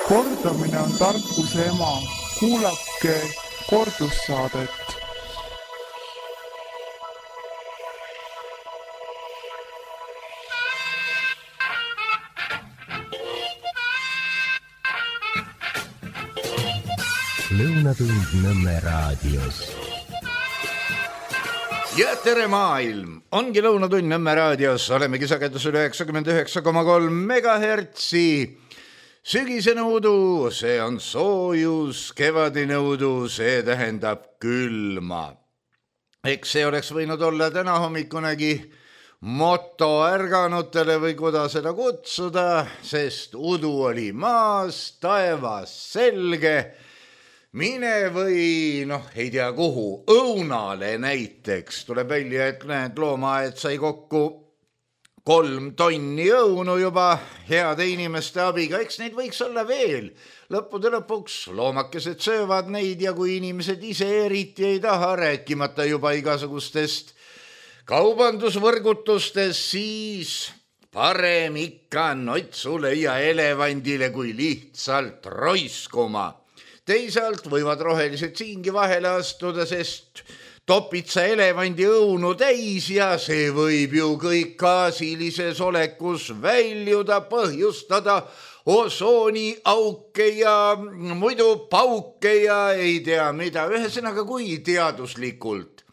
Kordamine on tarkuse ema. Kuulake kordussaadet. Lõunatund Nõmme raadios. Ja tere maailm! Ongi Lõunatund Nõmme raadios. Olemegi sagedusel 99,3 megahertsi. Sügisene udu, see on soojus, kevadine udu, see tähendab külma. Eks see oleks võinud olla täna hommikunegi moto ärganutele või kuidas seda kutsuda, sest udu oli maas, taevas selge. Mine või, ei tea kuhu, õunale näiteks. Tuleb välja, et näed, loomaaed sai kokku 3 tonni õunu juba heade inimeste abiga. Eks neid võiks olla veel. Lõppude lõpuks loomakesed söövad neid ja kui inimesed ise eriti ei taha, rääkimata juba igasugustest kaubandusvõrgutustest, siis parem ikka notsule ja elevandile kui lihtsalt roiskuma. Teisalt võivad rohelised siingi vahele astuda, sest topid sa elevandi õunu täis ja see võib ju kõik gaasilises olekus väljuda, põhjustada osooniauke ja muidu pauke ja ei tea mida. Ühesõnaga, kui teaduslikult,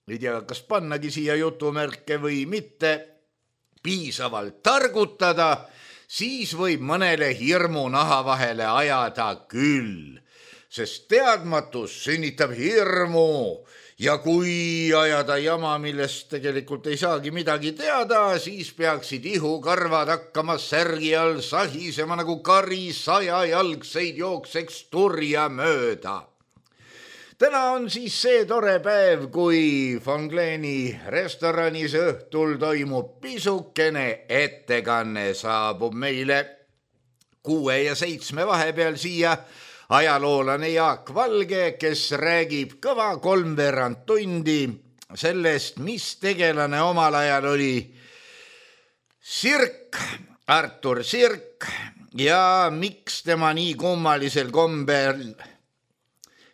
ei tea, kas pannagi siia jutumärke või mitte, piisavalt targutada, siis võib mõnele hirmu naha vahele ajada küll. Sest teadmatus sünnitab hirmu ja kui ajada jama, millest tegelikult ei saagi midagi teada, siis peaksid ihukarvad hakkama särgi all sahisema nagu kari 100 jalgseid jookseks turja mööda. Täna on siis see tore päev, kui Von Gleni restoranis õhtul toimub pisukene ettekanne, saabub meile 6 ja 7 vahepeal siia ajaloolane Jaak Valge, kes räägib kõva 3/4 tundi sellest, mis tegelane omal ajal oli Sirk, Artur Sirk ja miks tema nii kummalisel kombel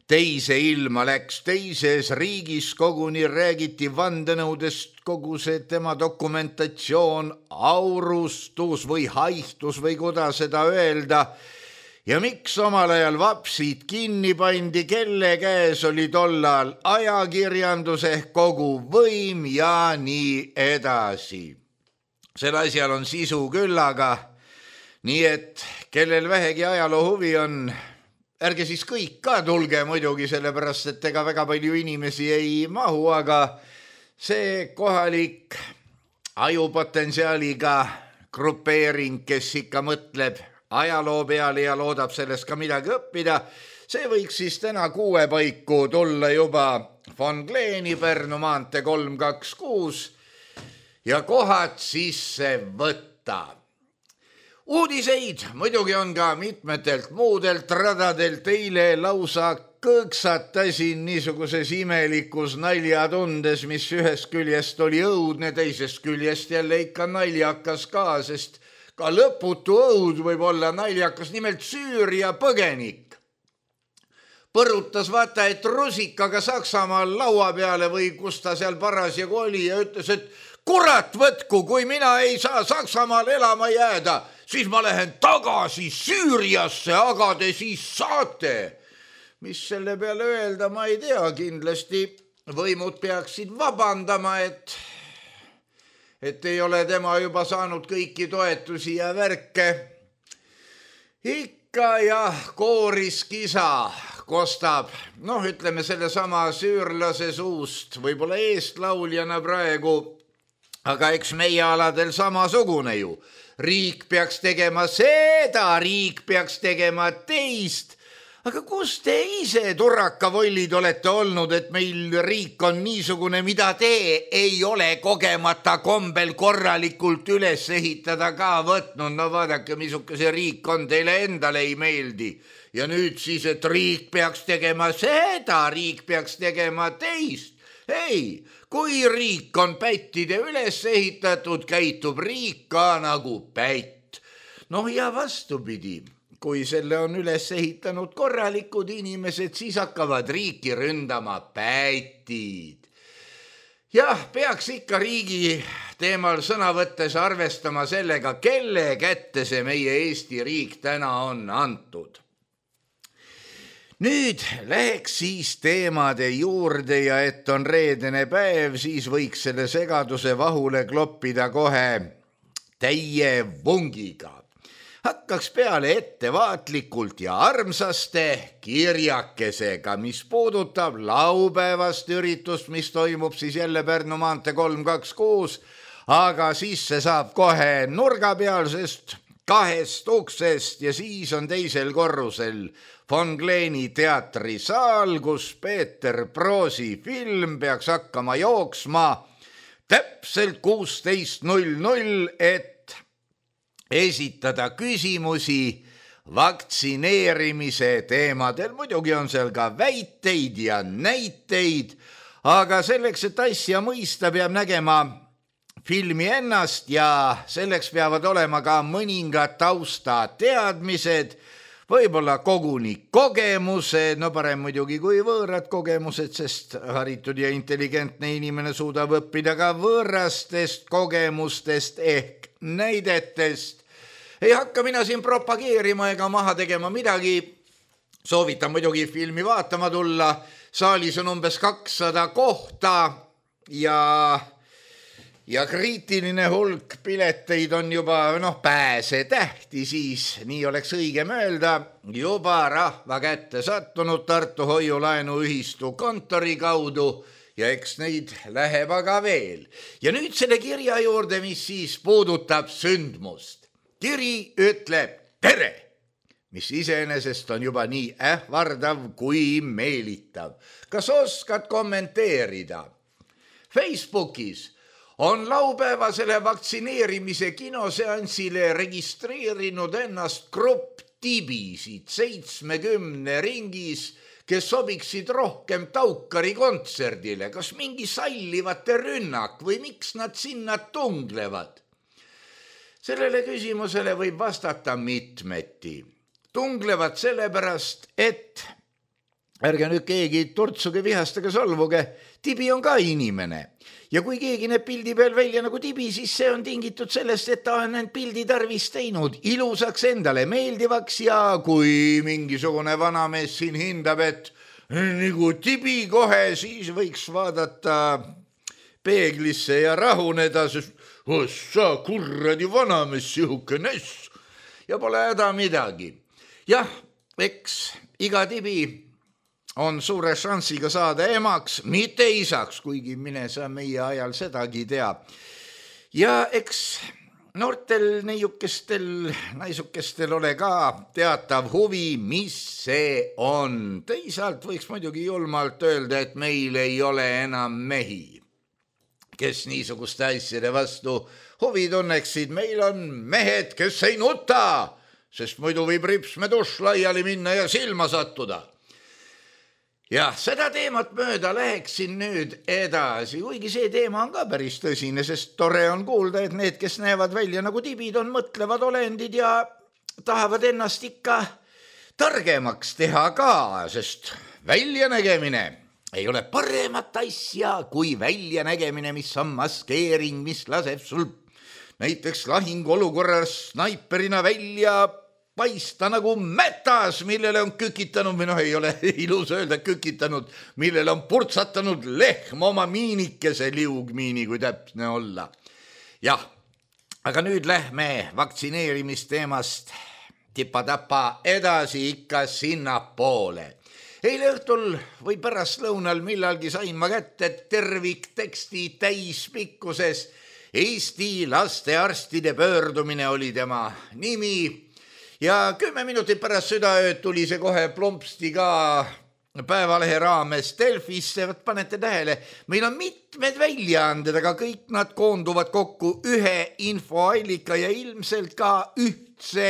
teise ilma läks. Teises riigis koguni räägiti vandenõudest, kogu see tema dokumentatsioon aurustus või haihtus või kuidas seda öelda. Ja miks omal ajal vapsid kinni pandi, kelle käes oli tollal ajakirjandus ehk kogu võim ja nii edasi. Sel asjal on sisu küllaga, nii et kellel vähegi ajaloo huvi on, ärge siis kõik ka tulge muidugi, sellepärast et ega väga palju inimesi ei mahu, aga see kohalik ajupotentsiaaliga grupeering, kes ikka mõtleb ajaloo peale ja loodab sellest ka midagi õppida, see võiks siis täna 6 paiku tulla juba Von Gleni Pärnu maantee 326 ja kohad sisse võtta. Uudiseid muidugi on ka mitmetelt muudelt radadelt. Eile lausa kõõksatasin niisuguses imelikus naljatundes, mis ühest küljest oli õudne, teisest küljest jälle ikka naljakas ka, sest ka lõputu õud võib olla naljakas. Nimelt Süüria põgenik põrutas vaata, et rusikaga Saksamaal laua peale või kus ta seal parasjagu oli ja ütles, et kurat võtku, kui mina ei saa Saksamaal elama jääda, siis ma lähen tagasi Süüriasse, aga te siis saate. Mis selle peale öelda, ma ei tea, kindlasti võimud peaksid vabandama, et ei ole tema juba saanud kõiki toetusi ja värke. Ikka jah, kooris kisa kostab, ütleme selle sama süürlase suust, võib-olla eestlauljana praegu, aga eks meie aladel samasugune ju. Riik peaks tegema seda, riik peaks tegema teist. Aga kus te ise turrakavollid olete olnud, et meil riik on niisugune, mida te ei ole kogemata kombel korralikult üles ehitada ka võtnud? No vaadake, misuke see riik on, teile endale ei meeldi. Ja nüüd siis, et riik peaks tegema seda, riik peaks tegema teist. Ei, kui riik on pättide üles ehitatud, käitub riik ka nagu pätt. Ja vastupidi. kui selle on üles ehitanud korralikud inimesed, siis hakkavad riiki ründama pätid. Jah, peaks ikka riigi teemal sõna võttes arvestama sellega, kelle kätte see meie Eesti riik täna on antud. Nüüd läheks siis teemade juurde ja et on reedene päev, siis võiks selle segaduse vahule kloppida kohe täie vungiga. Hakkaks peale ettevaatlikult ja armsaste kirjakesega, mis puudutab laupäevast üritust, mis toimub siis jälle Pärnu maantee 326, aga siis see saab kohe nurgapealsest 2 uksest ja siis on teisel korrusel Von Kleeni teatrisaal, kus Peeter Proosi film peaks hakkama jooksma täpselt 16:00, et esitada küsimusi vaktsineerimise teemadel. Muidugi on seal ka väiteid ja näiteid, aga selleks, et asja mõista, peab nägema filmi ennast ja selleks peavad olema ka mõningad taustateadmised, võib-olla koguni kogemused, no parem muidugi kui võõrad kogemused, sest haritud ja intelligentne inimene suudab õppida ka võõrastest kogemustest ehk näidetest. Ei hakka mina siin propageerima ega maha tegema midagi. Soovitan muidugi filmi vaatama tulla. Saalis on umbes 200 kohta ja kriitiline hulk pileteid on juba pääsetähti, siis nii oleks õigem öelda, juba rahva kätte sattunud Tartu Hoiu-laenuühistu kontori kaudu ja eks neid läheb aga veel. Ja nüüd selle kirja juurde, mis siis puudutab sündmust. Kiri ütleb tere, mis iseenesest on juba nii ähvardav kui meelitav. Kas oskad kommenteerida? Facebookis on laupäevasele vaktsineerimise kinoseansile registreerinud ennast grupp tibisid 70 ringis, kes sobiksid rohkem Taukari kontserdile. Kas mingi sallivate rünnak või miks nad sinna tunglevad? Sellele küsimusele võib vastata mitmeti. Tunglevad sellepärast, et ärge nüüd keegi turtsuge, vihastage, solvuge, tibi on ka inimene. Ja kui keegi näeb pildi peal välja nagu tibi, siis see on tingitud sellest, et ta on end pildi tarvis teinud ilusaks, endale meeldivaks ja kui mingisugune vanamees siin hindab, et nagu tibi kohe, siis võiks vaadata peeglisse ja rahuneda, sest sa kurradi vanamees sihuke ness ja pole häda midagi. Jah, eks iga tibi on suure šansiga saada emaks, mitte isaks, kuigi mine sa meie ajal sedagi teab. Ja eks noortel neiukestel, naisukestel ole ka teatav huvi, mis see on. Teisalt võiks muidugi julmalt öelda, et meil ei ole enam mehi, kes niisuguste asjade vastu huvi tunneksid. Meil on mehed, kes ei nuta, sest muidu võib ripsmeduš laiali minna ja silma sattuda. Jah, seda teemat mööda läheksin nüüd edasi, kuigi see teema on ka päris tõsine, sest tore on kuulda, et need, kes näevad välja nagu tibid, on mõtlevad olendid ja tahavad ennast ikka targemaks teha ka, sest väljanägemine ei ole paremat asja kui väljanägemine, mis on maskeering, mis laseb sul näiteks lahinguolukorras snaiperina välja paista nagu mätas, millele on kükitanud, või ei ole ilus öelda kükitanud, millele on purtsatanud lehm oma miinikese, liugmiini, kui täpne olla. Jah, aga nüüd lähme vaktsineerimisteemast tipa-tapa edasi ikka sinnapoole. Eile õhtul või pärastlõunal millalgi sain ma kätte tervikteksti täispikkuses. Eesti lastearstide pöördumine oli tema nimi. Ja 10 minutit pärast südaööd tuli see kohe plumpsti ka Päevalehe raames Delfisse. Panete tähele, meil on mitmed väljaanded, aga kõik nad koonduvad kokku ühe infoallika ja ilmselt ka ühtse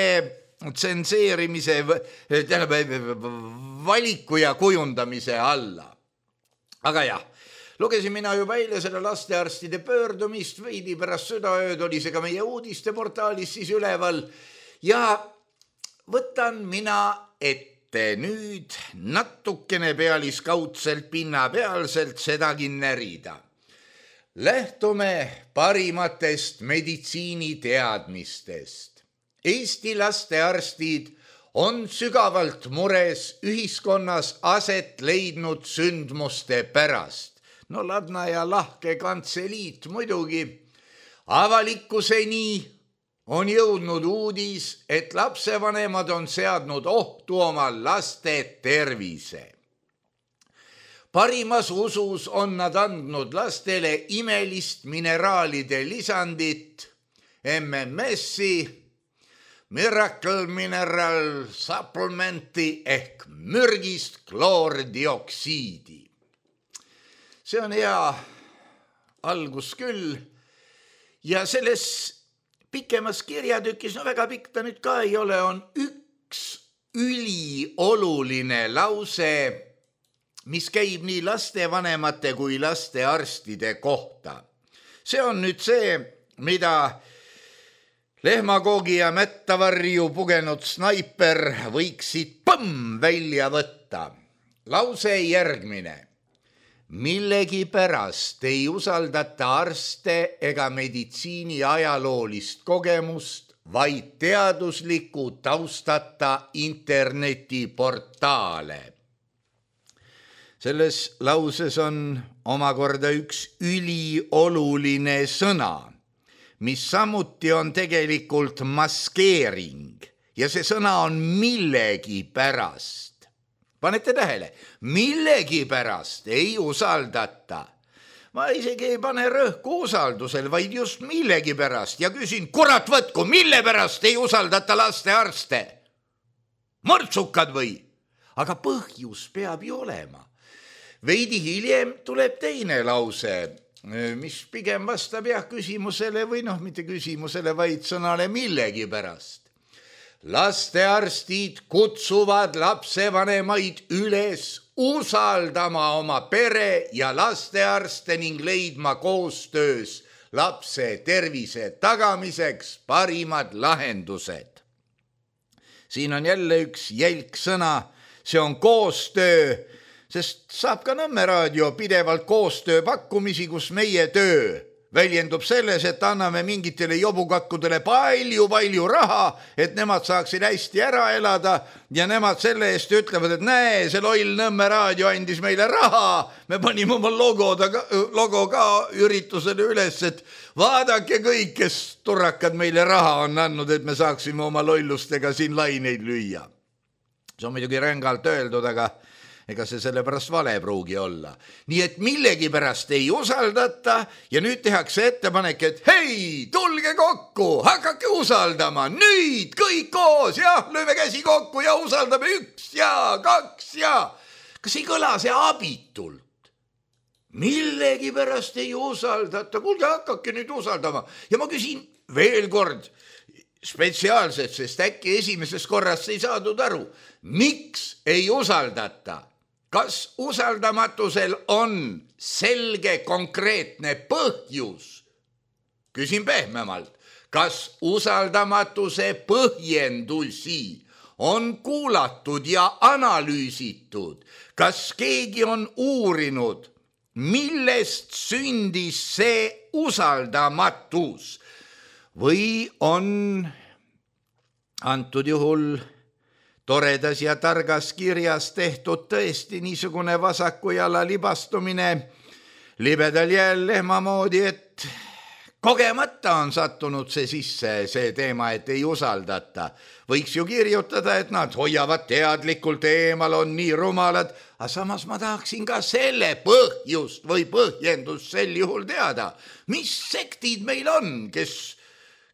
tsenseerimise, valiku ja kujundamise alla. Aga jah, lugesin mina juba eile selle lastearstide pöördumist, veidi pärast südaööd oli see ka meie uudisteportaalis siis üleval ja võtan mina ette nüüd natukene pealiskaudselt pinnapealselt sedagi närida. Lähtume parimatest meditsiiniteadmistest. Eesti lastearstid on sügavalt mures ühiskonnas aset leidnud sündmuste pärast. No Ladna ja lahke kantseliit muidugi. Avalikkuseni on jõudnud uudis, et lapsevanemad on seadnud ohtu oma laste tervise. Parimas usus on nad andnud lastele imelist mineraalide lisandit, MMS-i, Miracle Mineral Supplementi ehk mürgist kloordioksiidi. See on hea algus küll ja selles pikemas kirjatükis, no väga pikk ta nüüd ka ei ole, on üks ülioluline lause, mis käib nii lastevanemate kui lastearstide kohta. See on nüüd see, mida lehmakoogi ja mättavarju pugenud snaiper võiksid välja võtta. Lause järgmine. Millegipärast ei usaldata arste ega meditsiini ajaloolist kogemust, vaid teadusliku taustata internetiportaale. Selles lauses on omakorda üks ülioluline sõna, mis samuti on tegelikult maskeering ja see sõna on millegipärast. Panete tähele, millegipärast ei usaldata. Ma isegi ei pane rõhku usaldusel, vaid just millegipärast ja küsin, kurat võtku, mille pärast ei usaldata lastearste? Mõrtsukad või? Aga põhjus peab ju olema. Veidi hiljem tuleb teine lause, mis pigem vastab küsimusele või mitte küsimusele, vaid sõnale millegipärast. Lastearstid kutsuvad lapsevanemaid üles usaldama oma pere ja lastearste ning leidma koostöös lapse tervise tagamiseks parimad lahendused. Siin on jälle üks jälk sõna, see on koostöö, sest saab ka Nõmme raadio pidevalt koostöö pakkumisi, kus meie töö väljendub selles, et anname mingitele jobukatkudele palju raha, et nemad saaksid hästi ära elada ja nemad selle eest ütlevad, et näe, see loll Nõmme raadio andis meile raha, me panime oma logo ka üritusele üles, et vaadake kõik, kes turrakad meile raha on andnud, et me saaksime oma lollustega siin laineid lüüa. See on muidugi rängalt öeldud, aga ega see sellepärast vale pruugi olla. Nii et millegipärast ei usaldata ja nüüd tehakse ettepanek, et hei, tulge kokku, hakake usaldama, nüüd kõik koos, jah, lööme käsi kokku ja usaldame 1 ja 2 ja. Kas ei kõla see abitult? Millegipärast ei usaldata, kuulge, hakake nüüd usaldama. Ja ma küsin veel kord spetsiaalselt, sest äkki esimeses korrast ei saadud aru. Miks ei usaldata? Kas usaldamatusel on selge konkreetne põhjus? Küsin pehmemalt, kas usaldamatuse põhjendusi on kuulatud ja analüüsitud? Kas keegi on uurinud, millest sündis see usaldamatus? Või on antud juhul toredas ja targas kirjas tehtud tõesti niisugune vasaku jala libastumine libedal jääl lehma moodi, et kogemata on sattunud see sisse, see teema, et ei usaldata. Võiks ju kirjutada, et nad hoiavad teadlikult eemal, on nii rumalad, aga samas ma tahaksin ka selle põhjust või põhjendust sel juhul teada. Mis sektid meil on, kes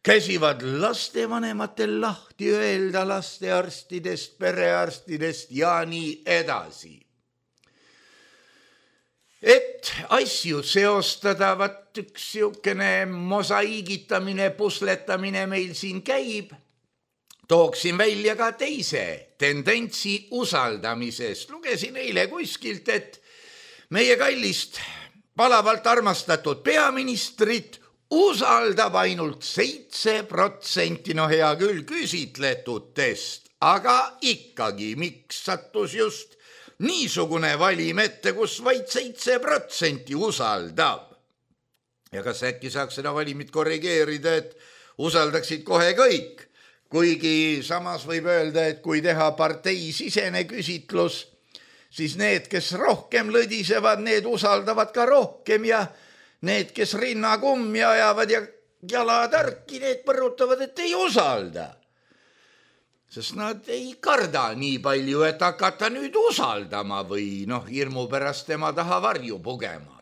käsivad lastevanematel lahti öelda lastearstidest, perearstidest ja nii edasi. Et asju seostada, vaat üks siukene mosaiigitamine, pusletamine meil siin käib, tooksin välja ka teise tendentsi usaldamisest. Lugesin eile kuskilt, et meie kallist palavalt armastatud peaministrit usaldab ainult 7%, no hea küll, küsitletutest, aga ikkagi, miks sattus just niisugune valim ette, kus vaid 7% usaldab? Ja kas äkki saaks seda valimit korrigeerida, et usaldaksid kohe kõik? Kuigi samas võib öelda, et kui teha parteisisene küsitlus, siis need, kes rohkem lõdisevad, need usaldavad ka rohkem ja need, kes rinnakummi ajavad ja jalatarki, need põrutavad, et ei usalda. Sest nad ei karda nii palju, et hakata nüüd usaldama või hirmu pärast tema taha varju pugema.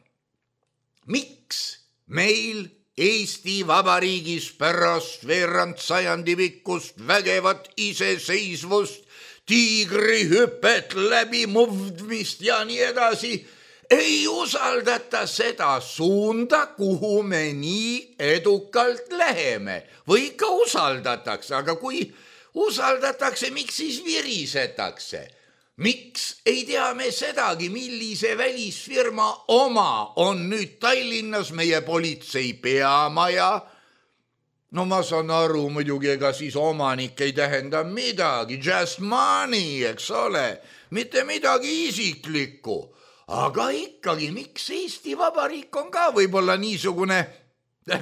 Miks meil Eesti Vabariigis pärast veerand sajandi pikkust vägevat iseseisvust, tiigrihüpet, läbimuvdmist ja nii edasi ei usaldata seda suunda, kuhu me nii edukalt läheme? Või ikka usaldatakse, aga kui usaldatakse, miks siis virisetakse? Miks ei tea me sedagi, millise välisfirma oma on nüüd Tallinnas meie politsei peamaja? No ma saan aru muidugi, ega siis omanik ei tähenda midagi, just money, eks ole, mitte midagi isiklikku. Aga ikkagi, miks Eesti Vabariik on ka võib-olla niisugune,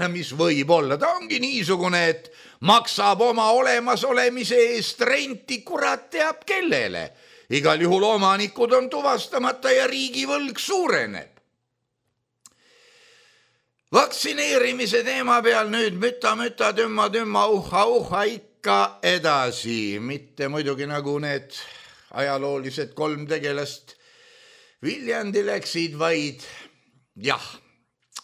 mis võib olla, ta ongi niisugune, et maksab oma olemasolemise eest renti kurat teab kellele. Igal juhul omanikud on tuvastamata ja riigivõlg suureneb. Vaktsineerimise teema peal nüüd müta, tümma, uha, ikka edasi. Mitte muidugi nagu need ajaloolised 3 tegelast Viljandi läksid, vaid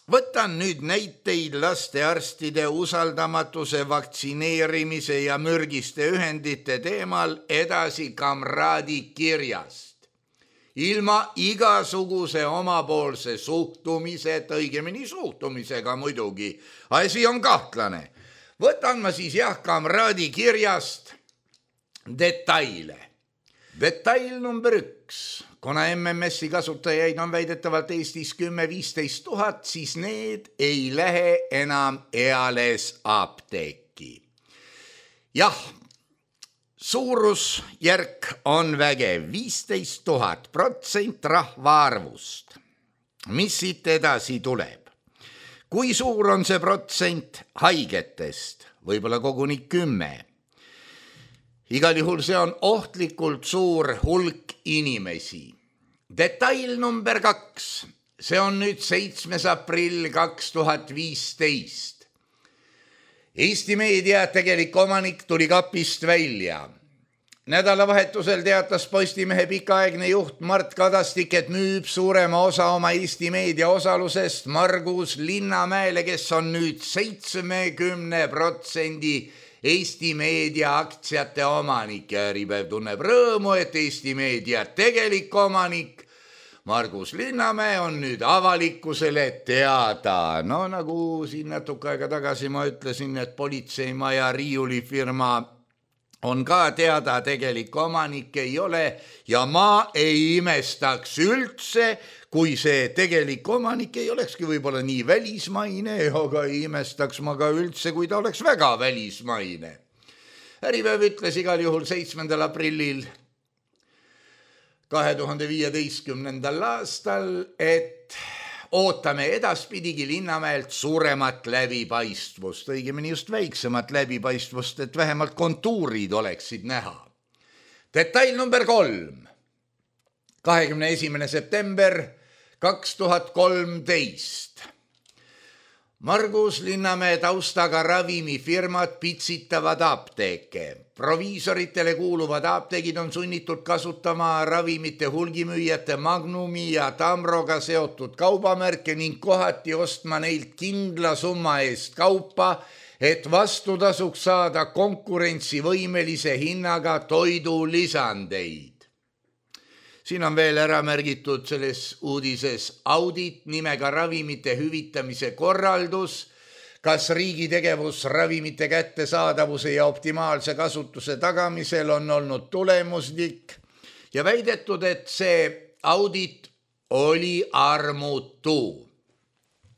võtan nüüd näiteid lastearstide usaldamatuse, vaktsineerimise ja mürgiste ühendite teemal edasi kamraadi kirjast. Ilma igasuguse omapoolse suhtumiseta, õigemini suhtumisega muidugi, asi on kahtlane. Võtan ma siis kamraadi kirjast detaile. Detail number 1. Kuna MMS-i kasutajaid on väidetavalt Eestis 10-15 000, siis need ei lähe enam eales apteeki. Jah, suurusjärk on vägev 15 000% rahvaarvust. Mis siit edasi tuleb? Kui suur on see protsent haigetest? Võib-olla koguni 10. Igal juhul see on ohtlikult suur hulk inimesi. Detail number 2. See on nüüd 7. aprill 2015. Eesti meedia tegelik omanik tuli kapist välja. Nädalavahetusel teatas Postimehe pikaaegne juht Mart Kadastik, et müüb suurema osa oma Eesti meedia osalusest Margus Linnamäele, kes on nüüd 70% Eesti meedia aktsiate omanik ja Äripäev tunneb rõõmu, et Eesti meedia tegelik omanik Margus Linnamäe on nüüd avalikkusele teada. No nagu siin natuke aega tagasi ma ütlesin, et politseimaja riiulifirma on ka teada, tegelik omanik ei ole ja ma ei imestaks üldse, kui see tegelik omanik ei olekski võib-olla nii välismaine, aga ei imestaks ma ka üldse, kui ta oleks väga välismaine. Äripäev ütles igal juhul 7. aprillil 2015. aastal, et ootame edaspidigi Linnamäelt suuremat läbipaistvust, õigemini just väiksemat läbipaistvust, et vähemalt kontuurid oleksid näha. Detail number 3. 21. september 2013. Margus Linnamäe taustaga ravimifirmad pitsitavad apteeke. Proviisoritele kuuluvad apteegid on sunnitud kasutama ravimite hulgimüüjate Magnumi ja Tamroga seotud kaubamärke ning kohati ostma neilt kindla summa eest kaupa, et vastutasuks saada konkurentsivõimelise hinnaga toidulisandeid. Siin on veel ära märgitud selles uudises audit nimega ravimite hüvitamise korraldus, kas riigi tegevus ravimite kättesaadavuse ja optimaalse kasutuse tagamisel on olnud tulemuslik ja väidetud, et see audit oli armutu.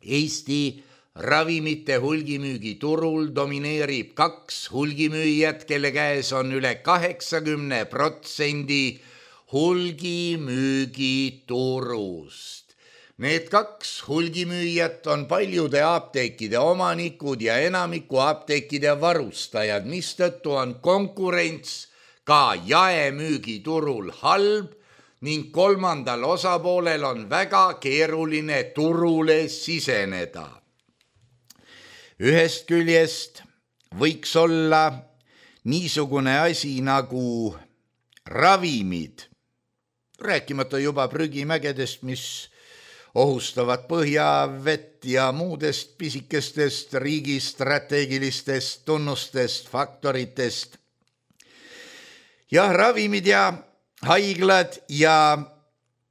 Eesti ravimite hulgimüügiturul domineerib 2 hulgimüüjat, kelle käes on üle 80% hulgimüügiturust. Need 2 hulgimüüjat on paljude apteekide omanikud ja enamiku apteekide varustajad, mistõttu on konkurents ka jaemüügiturul halb ning kolmandal osapoolel on väga keeruline turule siseneda. Ühest küljest võiks olla niisugune asi nagu ravimid, rääkimata juba prügimägedest, mis ohustavad põhjavett ja muudest pisikestest riigi strateegilistest tunnustest, faktoritest. Jah, ravimid ja haiglad ja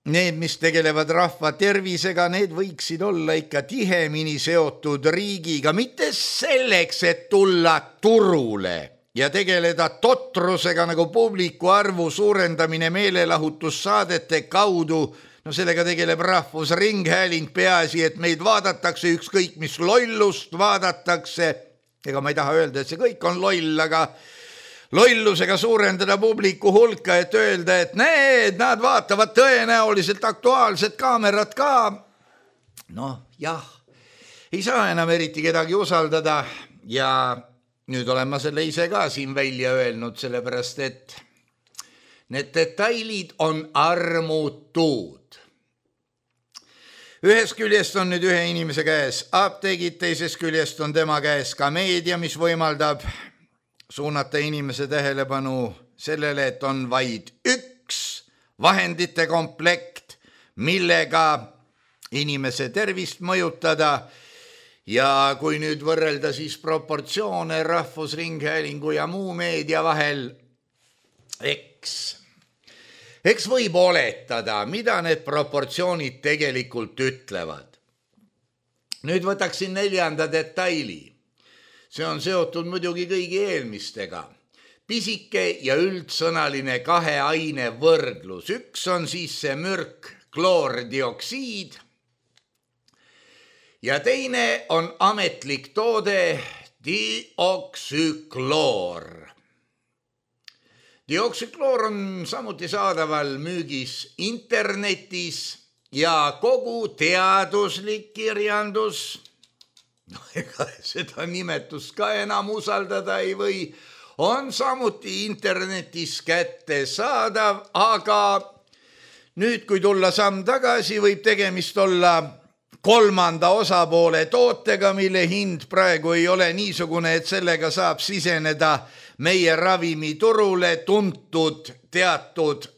need, mis tegelevad rahva tervisega, need võiksid olla ikka tihemini seotud riigiga, mitte selleks, et tulla turule ja tegeleda totrusega nagu publiku arvu suurendamine meelelahutussaadete kaudu. No sellega tegeleb Rahvusringhääling, peaasi, et meid vaadatakse, ükskõik mis lollust vaadatakse. Ega ma ei taha öelda, et see kõik on loll, aga lollusega suurendada publiku hulka, et öelda, et nad vaatavad tõenäoliselt Aktuaalset Kaamerat ka. Noh, jah, ei saa enam eriti kedagi usaldada ja nüüd olen ma selle ise ka siin välja öelnud, sellepärast et need detailid on armutud. Ühest küljest on nüüd ühe inimese käes apteegid, teisest küljest on tema käes ka meedia, mis võimaldab suunata inimese tähelepanu sellele, et on vaid üks vahendite komplekt, millega inimese tervist mõjutada. Ja kui nüüd võrrelda siis proportsioone Rahvusringhäälingu ja muu meedia vahel, eks võib oletada, mida need proportsioonid tegelikult ütlevad. Nüüd võtaksin 4. detaili. See on seotud muidugi kõigi eelmistega. Pisike ja üldsõnaline 2 aine võrdlus. Üks on siis see mürk kloordioksiid ja teine on ametlik toode dioksükloor. Dioksükloor on samuti saadaval müügis internetis ja kogu teaduslik kirjandus, ega seda nimetust ka enam usaldada ei või, on samuti internetis kättesaadav, aga nüüd, kui tulla samm tagasi, võib tegemist olla 3. osapoole tootega, mille hind praegu ei ole niisugune, et sellega saab siseneda meie ravimiturule tuntud teatud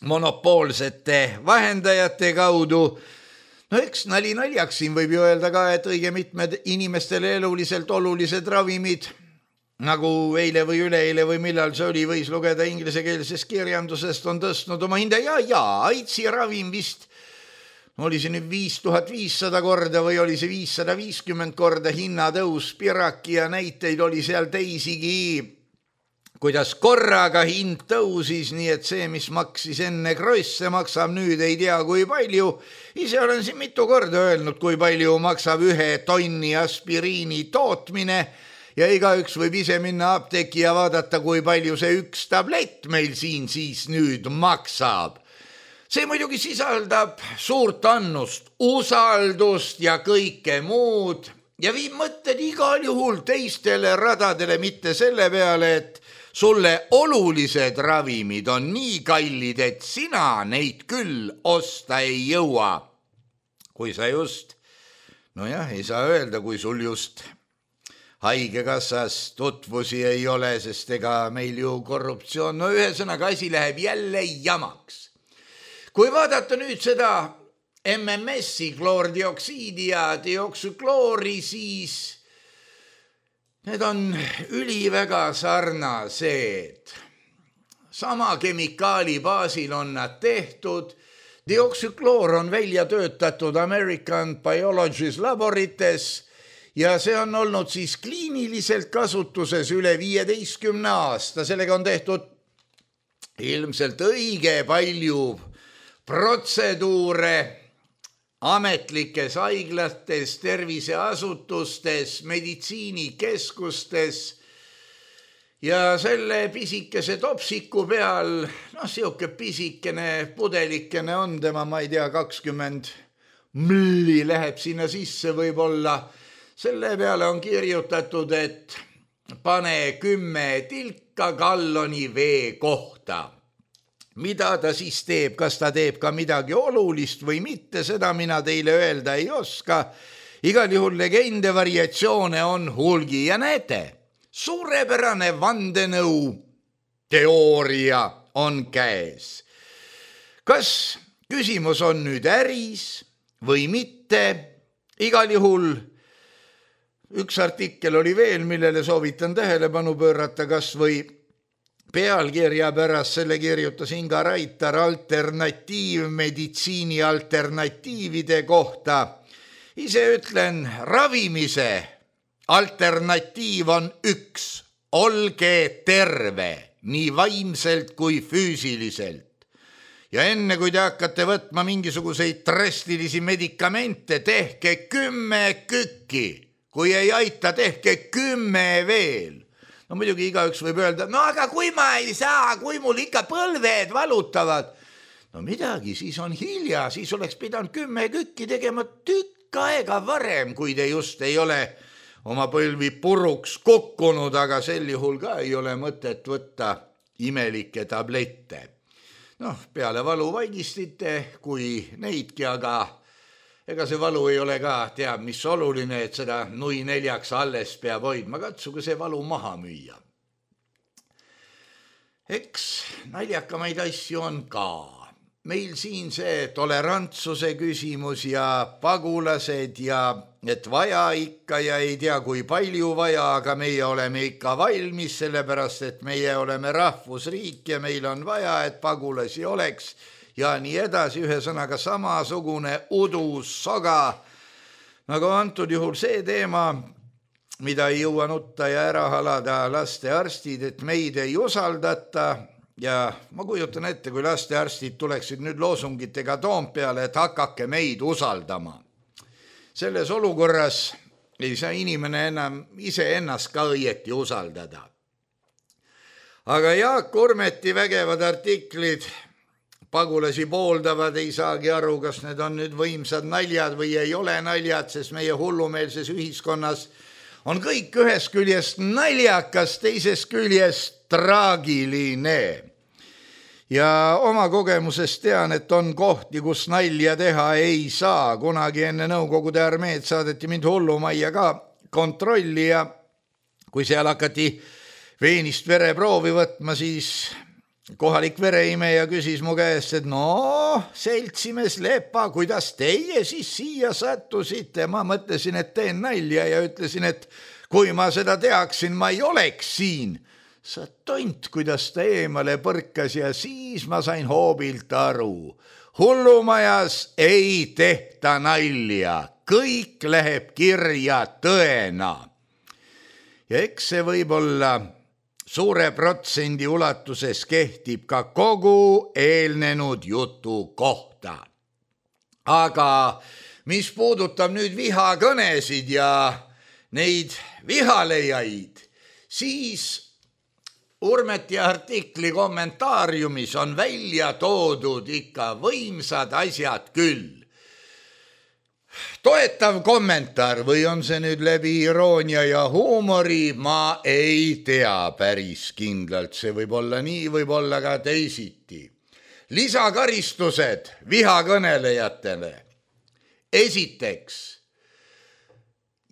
monopoolsete vahendajate kaudu. No eks naljaks siin võib ju öelda ka, et õige mitmed inimestele eluliselt olulised ravimid, nagu eile või üleeile või millal see oli, võis lugeda ingliskeelsest kirjandusest, on tõstnud oma hinda ja AIDSi ravim vist oli see nüüd 5500 korda või oli see 550 korda hinnatõus, Piraki ja näiteid oli seal teisigi, kuidas korraga hind tõusis, nii et see, mis maksis enne kroisse, maksab nüüd ei tea kui palju. Ise olen siin mitu korda öelnud, kui palju maksab 1 tonni aspiriini tootmine ja igaüks võib ise minna apteeki ja vaadata, kui palju see 1 tablett meil siin siis nüüd maksab. See muidugi sisaldab suurt annust, usaldust ja kõike muud ja viib mõtted igal juhul teistele radadele, mitte selle peale, et sulle olulised ravimid on nii kallid, et sina neid küll osta ei jõua. Kui sa just, ei saa öelda, kui sul just haigekassas tutvusi ei ole, sest ega meil ju korruptsioon, ühesõnaga asi läheb jälle jamaks. Kui vaadata nüüd seda MMS-i, kloordioksiidi ja dioksükloori, siis need on üliväga sarnased. Sama kemikaali baasil on nad tehtud. Dioksükloor on välja töötatud American Biologies laborites ja see on olnud siis kliiniliselt kasutuses üle 15 aasta. Sellega on tehtud ilmselt õige palju protseduure ametlikes haiglates, terviseasutustes, meditsiinikeskustes ja selle pisikese topsiku peal, siuke pisikene pudelikene on tema, ma ei tea, 20 mlli läheb sinna sisse võib-olla. Selle peale on kirjutatud, et pane 10 tilka galloni vee kohta. Mida ta siis teeb, kas ta teeb ka midagi olulist või mitte, seda mina teile öelda ei oska. Igal juhul legende variatsioone on hulgi ja näete, suurepärane vandenõu teooria on käes. Kas küsimus on nüüd äris või mitte? Igal juhul üks artikkel oli veel, millele soovitan tähelepanu pöörata, kas või pealkirja pärast, selle kirjutas Inga Raitar alternatiivmeditsiini alternatiivide kohta. Ise ütlen, ravimise alternatiiv on üks, olge terve, nii vaimselt kui füüsiliselt. Ja enne kui te hakkate võtma mingisuguseid drastilisi medikamente, tehke 10 kükki, kui ei aita, tehke 10 veel. No muidugi igaüks võib öelda, aga kui ma ei saa, kui mul ikka põlved valutavad. No midagi, siis on hilja, siis oleks pidanud 10 kükki tegema tükk aega varem, kui te just ei ole oma põlvi puruks kukkunud, aga sel juhul ka ei ole mõtet võtta imelikke tablette. Peale valu vaigistite, kui neidki, aga ega see valu ei ole ka, teab, mis oluline, et seda nui 4 alles peab hoidma, katsuge see valu maha müüa. Eks naljakamaid asju on ka. Meil siin see tolerantsuse küsimus ja pagulased ja et vaja ikka ja ei tea, kui palju vaja, aga meie oleme ikka valmis, sellepärast, et meie oleme rahvusriik ja meil on vaja, et pagulasi oleks ja nii edasi, ühesõnaga samasugune udus soga, nagu antud juhul see teema, mida ei jõua nutta ja ära halada lastearstid, et meid ei usaldata ja ma kujutan ette, kui lastearstid tuleksid nüüd loosungitega Toompeale, et hakake meid usaldama. Selles olukorras ei saa inimene enam iseennast ka õieti usaldada. Aga Jaak Urmeti vägevad artiklid pagulasi pooldavad, ei saagi aru, kas need on nüüd võimsad naljad või ei ole naljad, sest meie hullumeelses ühiskonnas on kõik ühest küljest naljakas, teisest küljest traagiline. Ja oma kogemusest tean, et on kohti, kus nalja teha ei saa. Kunagi enne Nõukogude armeed saadeti mind hullumajja ka kontrolli ja kui seal hakati veenist vereproovi võtma, siis kohalik vereimeja küsis mu käest, et seltsimees Lepa, kuidas teie siis siia sattusite? Ma mõtlesin, et teen nalja ja ütlesin, et kui ma seda teaksin, ma ei oleks siin. Sa tont, kuidas ta eemale põrkas ja siis ma sain hoobilt aru. Hullumajas ei tehta nalja, kõik läheb kirja tõena. Ja eks see võib olla suure protsendi ulatuses kehtib ka kogu eelnenud jutu kohta. Aga mis puudutab nüüd vihakõnesid ja neid vihalejaid, siis Urmeti artikli kommentaariumis on välja toodud ikka võimsad asjad küll. Toetav kommentaar või on see nüüd läbi iroonia ja huumori, ma ei tea päris kindlalt. See võib olla nii, võib olla ka teisiti. Lisakaristused vihakõnelejatele. Esiteks,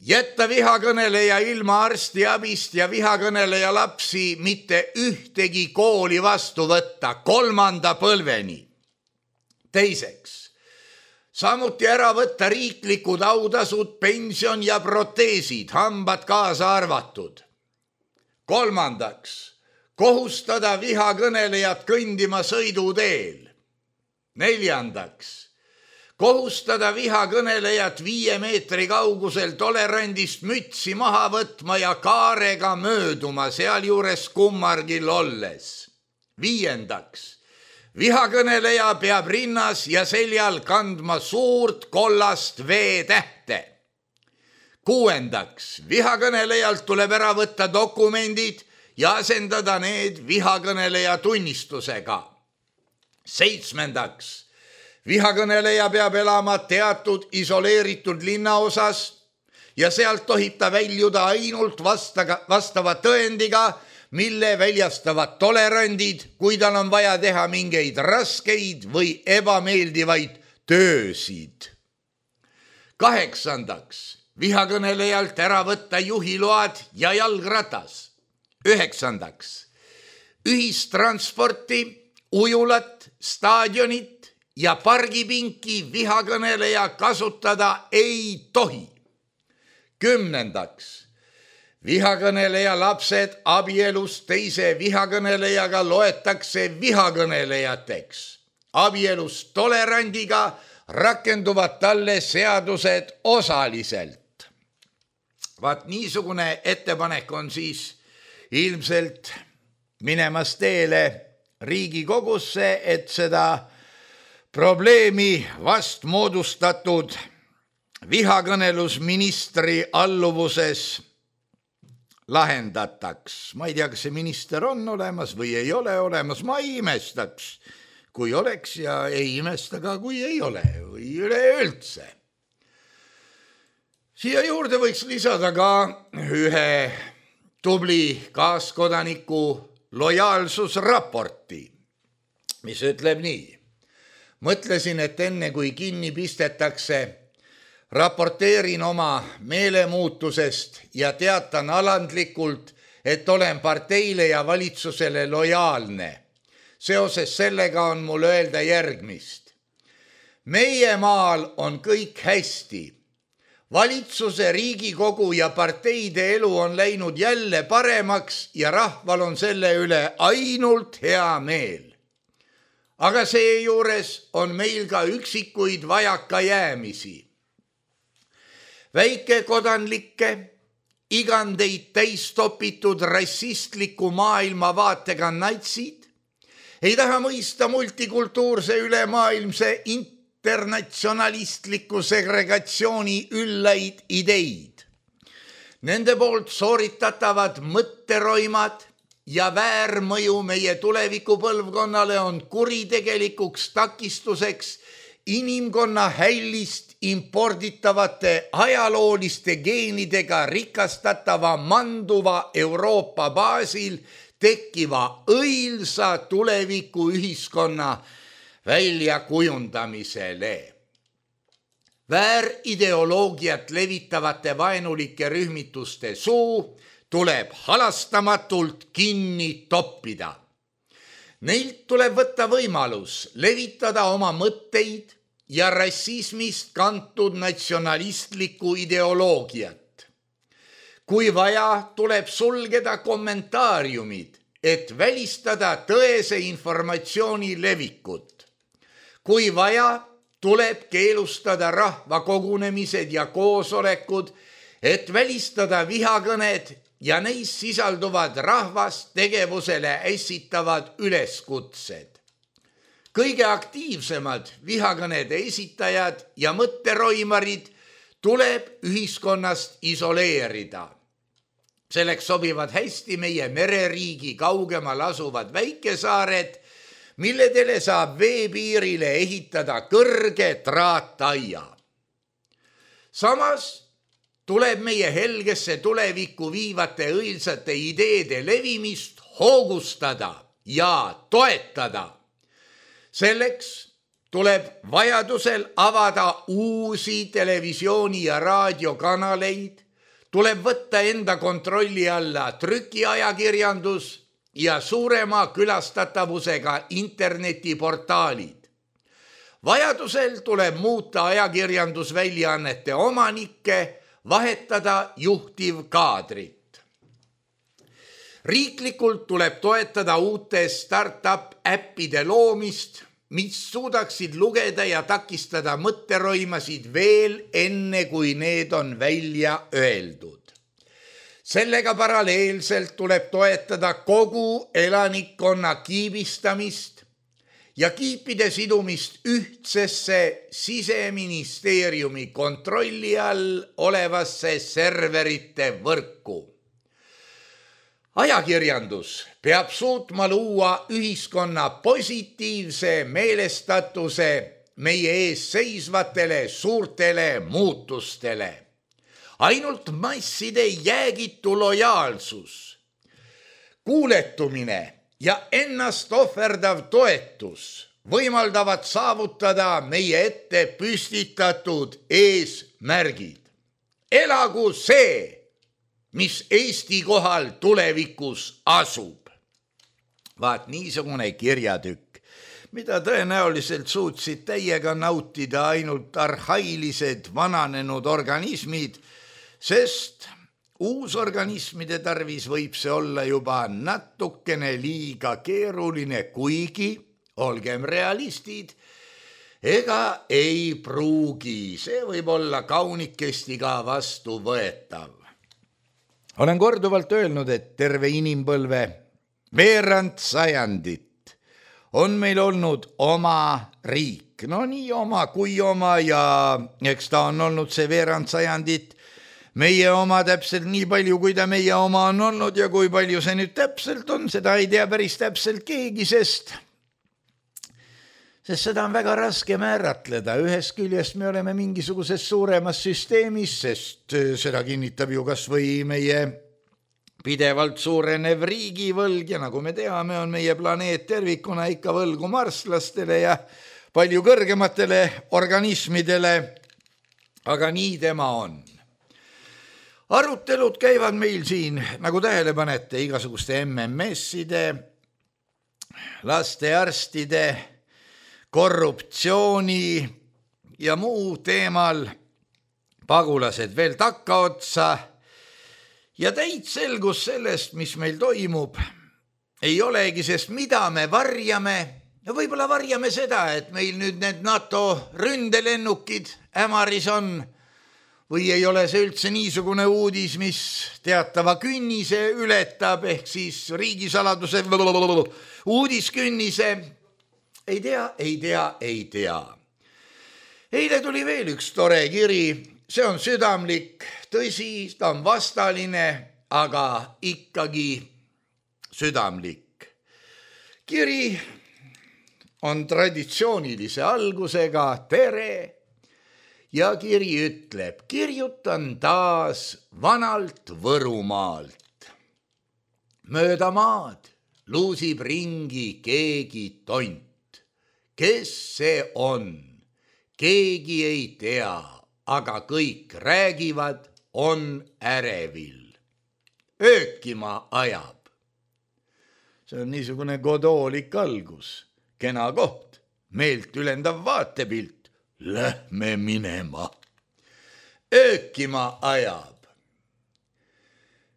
jätta vihakõneleja ilma arstiabist ja vihakõneleja lapsi mitte ühtegi kooli vastu võtta 3. põlveni. Teiseks, samuti ära võtta riiklikud autasud, pension ja proteesid, hambad kaasa arvatud. 3. kohustada vihakõnelejat kõndima sõiduteel. 4. kohustada vihakõnelejat 5 meetri kaugusel tolerandist mütsi maha võtma ja kaarega mööduma, sealjuures kummargil olles. 5. vihakõneleja peab rinnas ja seljal kandma suurt kollast V-tähte. 6. vihakõnelejalt tuleb ära võtta dokumendid ja asendada need vihakõneleja tunnistusega. 7. vihakõneleja peab elama teatud isoleeritud linnaosas ja sealt tohib ta väljuda ainult vastava tõendiga, mille väljastavad tolerandid, kui tal on vaja teha mingeid raskeid või ebameeldivaid töösid. 8. vihakõnelejalt ära võtta juhiload ja jalgratas. 9. ühistransporti, ujulat, staadionit ja pargipinki vihakõneleja kasutada ei tohi. 10. vihakõneleja lapsed abielus teise vihakõnelejaga loetakse vihakõnelejateks. Abielus tolerandiga rakenduvad talle seadused osaliselt. Vaat niisugune ettepanek on siis ilmselt minemas teele Riigikogusse, et seda probleemi vast moodustatud vihakõnelusministri alluvuses lahendataks. Ma ei tea, kas see minister on olemas või ei ole olemas, ma ei imestaks, kui oleks ja ei imesta ka, kui ei ole või üleüldse. Siia juurde võiks lisada ka ühe tubli kaaskodaniku lojaalsusraporti, mis ütleb nii. Mõtlesin, et enne kui kinni pistetakse, raporteerin oma meelemuutusest ja teatan alandlikult, et olen parteile ja valitsusele lojaalne. Seoses sellega on mul öelda järgmist. Meie maal on kõik hästi. Valitsuse, Riigikogu ja parteide elu on läinud jälle paremaks ja rahval on selle üle ainult hea meel. Aga seejuures on meil ka üksikuid vajakajäämisi. Väikekodanlikke, igandeid täistopitud rassistliku maailmavaatega natsid ei taha mõista multikultuurse ülemaailmse internatsionalistliku segregatsiooni üllaid ideid. Nende poolt sooritatavad mõtteroimad ja väärmõju meie tulevikupõlvkonnale on kuritegelikuks takistuseks inimkonna hällist imporditavate ajalooliste geenidega rikastatava manduva Euroopa baasil tekkiva õilsa tuleviku ühiskonna väljakujundamisele. Väärideoloogiat levitavate vaenulike rühmituste suu tuleb halastamatult kinni toppida. Neilt tuleb võtta võimalus levitada oma mõtteid ja rassismist kantud natsionalistlikku ideoloogiat. Kui vaja, tuleb sulgeda kommentaariumid, et välistada tõese informatsiooni levikut. Kui vaja, tuleb keelustada rahvakogunemised ja koosolekud, et välistada vihakõned ja neis sisalduvad rahvast tegevusele ässitavad üleskutsed. Kõige aktiivsemad vihakõnede esitajad ja mõtteroimarid tuleb ühiskonnast isoleerida. Selleks sobivad hästi meie mereriigi kaugemal asuvad väikesaared, milledele saab veepiirile ehitada kõrge traattaia. Samas tuleb meie helgesse tulevikku viivate õilsate ideede levimist hoogustada ja toetada. Selleks tuleb vajadusel avada uusi televisiooni- ja raadiokanaleid, tuleb võtta enda kontrolli alla trükiajakirjandus ja suurema külastatavusega internetiportaalid. Vajadusel tuleb muuta ajakirjandusväljaannete omanikke, vahetada juhtivkaadrit. Riiklikult tuleb toetada uute startup-äppide loomist, mis suudaksid lugeda ja takistada mõtteroimasid veel enne, kui need on välja öeldud. Sellega paralleelselt tuleb toetada kogu elanikkonna kiibistamist ja kiipide sidumist ühtsesse Siseministeeriumi kontrolli all olevasse serverite võrku. Ajakirjandus peab suutma luua ühiskonna positiivse meelestatuse meie ees seisvatele suurtele muutustele. Ainult masside jäägitu lojaalsus, kuuletumine ja ennast ohverdav toetus võimaldavad saavutada meie ette püstitatud eesmärgid. Elagu see, mis Eesti kohal tulevikus asub. Vaat niisugune kirjatükk, mida tõenäoliselt suutsid täiega nautida ainult arhailised vananenud organismid, sest uusorganismide tarvis võib see olla juba natukene liiga keeruline, kuigi, olgem realistid, ega ei pruugi, see võib olla kaunikesti ka vastuvõetav. Olen korduvalt öelnud, et terve inimpõlve veerand sajandit on meil olnud oma riik. No nii oma kui oma ja eks ta on olnud see veerand sajandit meie oma täpselt nii palju, kui ta meie oma on olnud ja kui palju see nüüd täpselt on, seda ei tea päris täpselt keegi, sest seda on väga raske määratleda. Ühest küljest me oleme mingisuguses suuremas süsteemis, sest seda kinnitab ju kas või meie pidevalt suurenev riigivõlg ja nagu me teame, on meie planeet tervikuna ikka võlgu marslastele ja palju kõrgematele organismidele, aga nii tema on. Arutelud käivad meil siin, nagu tähele panete, igasuguste MMS-ide, lastearstide, korruptsiooni ja muu teemal, pagulased veel takkaotsa ja täit selgus sellest, mis meil toimub, ei olegi, sest mida me varjame, ja võib-olla varjame seda, et meil nüüd need NATO ründelennukid ämaris on, või ei ole see üldse niisugune uudis, mis teatava künnise ületab, ehk siis riigisaladuse uudiskünnise. Ei tea. Eile tuli veel üks tore kiri, see on südamlik, tõsi, ta on vastaline, aga ikkagi südamlik. Kiri on traditsioonilise algusega tere. Ja kiri ütleb, kirjutan taas vanalt Võrumaalt. Mööda maad luusib ringi keegi tont. Kes see on? Keegi ei tea, aga kõik räägivad, on ärevil. Öökima ajab. See on niisugune godoolik algus, kena koht, meelt ülendav vaatepilt. Lähme minema. Öökima ajab.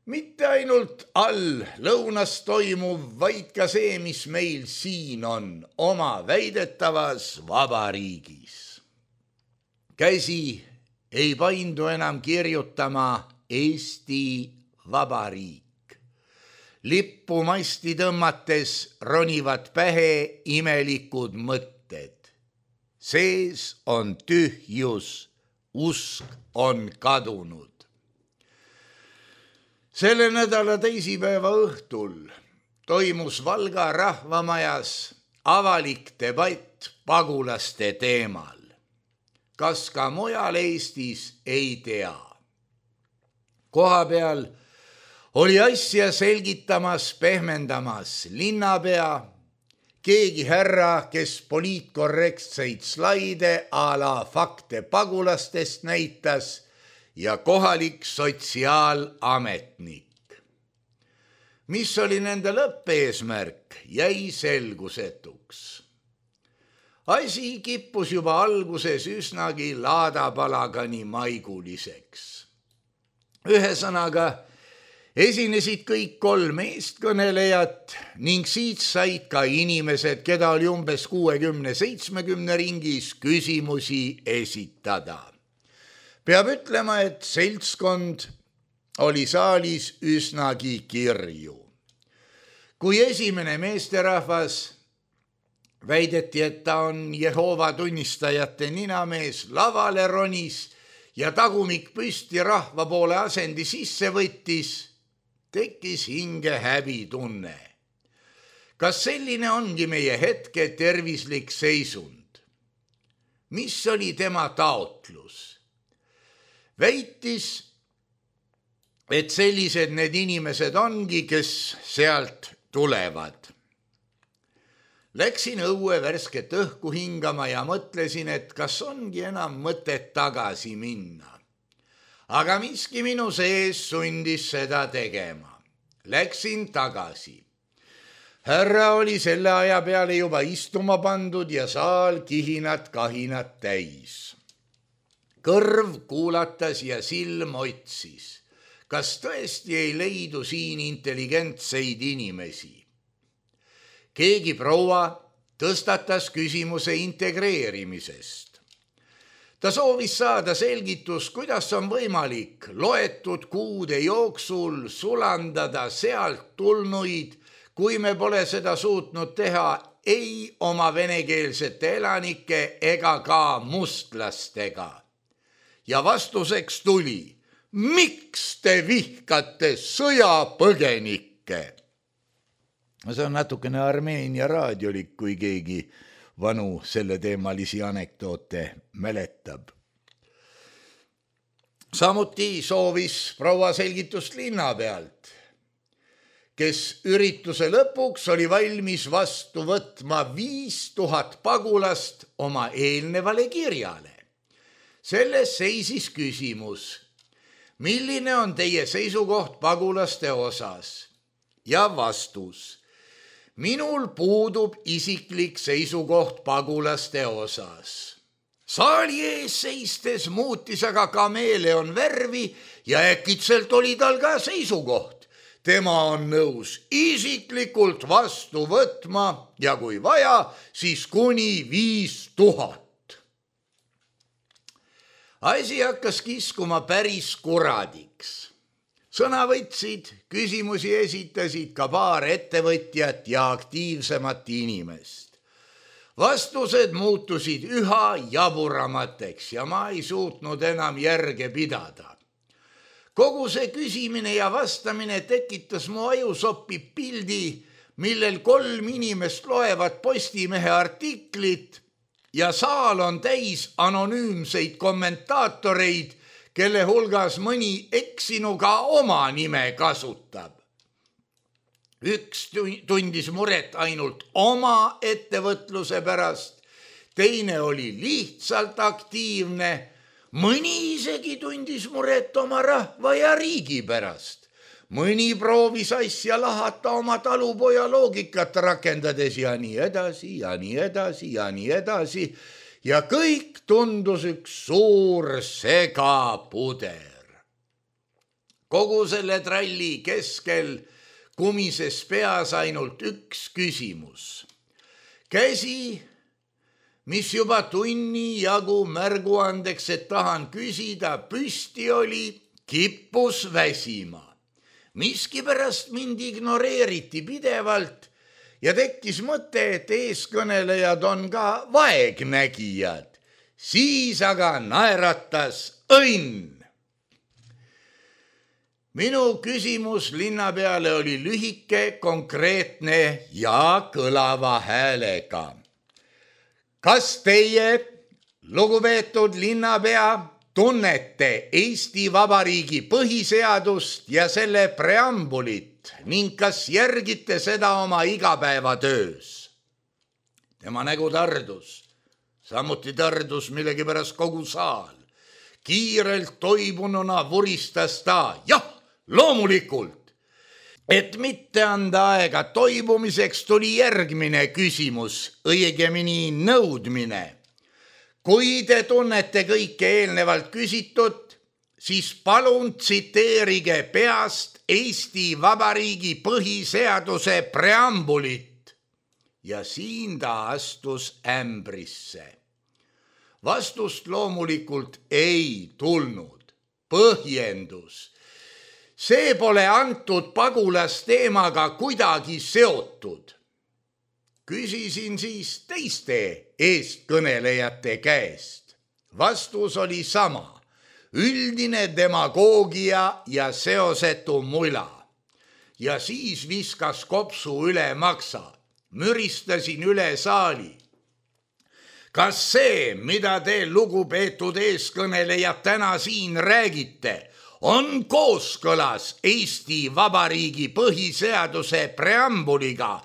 Mitte ainult all lõunas toimuv, vaid ka see, mis meil siin on oma väidetavas vabariigis. Käsi ei paindu enam kirjutama Eesti Vabariik. Lippu masti tõmmates ronivad pähe imelikud mõtted. Sees on tühjus, usk on kadunud. Selle nädala teisipäeva õhtul toimus Valga rahvamajas avalik debatt pagulaste teemal. Kas ka mujal Eestis, ei tea. Kohapeal oli asja selgitamas, pehmendamas linnapea, keegi härra, kes poliitkorrektseid slaide a la fakte pagulastest näitas ja kohalik sotsiaalametnik. Mis oli nende lõppeesmärk, jäi selgusetuks. Asi kippus juba alguses üsnagi laadapalagani maiguliseks. Ühesõnaga, esinesid kõik 3 eestkõnelejat ning siit said ka inimesed, keda oli umbes 60-70 ringis, küsimusi esitada. Peab ütlema, et seltskond oli saalis üsnagi kirju. Kui esimene meesterahvas Väideti, et ta on Jehoova tunnistajate ninamees, lavale ronis ja tagumik püsti rahva poole asendi sisse võttis, tekkis hinge häbitunne. Kas selline ongi meie hetke tervislik seisund? Mis oli tema taotlus? Väitis, et sellised need inimesed ongi, kes sealt tulevad. Läksin õue värsket õhku hingama ja mõtlesin, et kas ongi enam mõtet tagasi minna. Aga miski minu sees sundis seda tegema. Läksin tagasi. Härra oli selle aja peale juba istuma pandud ja saal kihinat-kahinat täis. Kõrv kuulatas ja silm otsis. Kas tõesti ei leidu siin intelligentseid inimesi? Keegi proua tõstatas küsimuse integreerimisest. Ta soovis saada selgitus, kuidas on võimalik loetud kuude jooksul sulandada sealt tulnuid, kui me pole seda suutnud teha ei oma venekeelsete elanike ega ka mustlastega. Ja vastuseks tuli, miks te vihkate sõjapõgenikke? See on natukene Armeenia raadiolik, kui keegi vanu selleteemalisi anekdoote mäletab. Samuti soovis proua selgitust linna pealt, kes ürituse lõpuks oli valmis vastu võtma 5000 pagulast oma eelnevale kirjale. Selles seisis küsimus, milline on teie seisukoht pagulaste osas? Ja vastus. Minul puudub isiklik seisukoht pagulaste osas. Saali ees seistes muutis aga kameeleon värvi ja äkitselt oli tal ka seisukoht. Tema on nõus isiklikult vastu võtma ja kui vaja, siis kuni 5000. Asi hakkas kiskuma päris kuradiks. Sõna võtsid, küsimusi esitasid ka paar ettevõtjat ja aktiivsemat inimest. Vastused muutusid üha jaburamateks ja ma ei suutnud enam järge pidada. Kogu see küsimine ja vastamine tekitas mu ajusoppi pildi, millel 3 inimest loevad Postimehe artiklit ja saal on täis anonüümseid kommentaatoreid, kelle hulgas mõni eksinuga oma nime kasutab. Üks tundis muret ainult oma ettevõtluse pärast, teine oli lihtsalt aktiivne, mõni isegi tundis muret oma rahva ja riigi pärast. Mõni proovis asja lahata oma talupoja loogikat rakendades ja nii edasi ja nii edasi ja nii edasi. Ja kõik tundus üks suur segapuder. Kogu selle tralli keskel kumises peas ainult üks küsimus. Käsi, mis juba tunni jagu märguandeks, et tahan küsida, püsti oli, kippus väsima. Miskipärast mind ignoreeriti pidevalt ja tekkis mõte, et eeskõnelejad on ka vaegnägijad. Siis aga naeratas õnn. Minu küsimus linna peale oli lühike, konkreetne ja kõlava häälega. Kas teie, lugupeetud linnapea, tunnete Eesti Vabariigi põhiseadust ja selle preambulit ning kas järgite seda oma igapäevatöös? Tema nägu tardus, samuti tardus millegipärast kogu saal. Kiirelt toibununa vuristas ta, jah, loomulikult. Et mitte anda aega toibumiseks, tuli järgmine küsimus, õigemini nõudmine. Kui te tunnete kõike eelnevalt küsitut, siis palun tsiteerige peast Eesti Vabariigi põhiseaduse preambulit. Ja siin ta astus ämbrisse. Vastust loomulikult ei tulnud. Põhjendus. See pole antud pagulasteemaga kuidagi seotud. Küsisin siis teiste eestkõnelejate käest. Vastus oli sama, üldine demagoogia ja seosetu mula. Ja siis viskas kopsu üle maksa, müristasin üle saali. Kas see, mida te lugupeetud eeskõnelejad täna siin räägite, on kooskõlas Eesti Vabariigi põhiseaduse preambuliga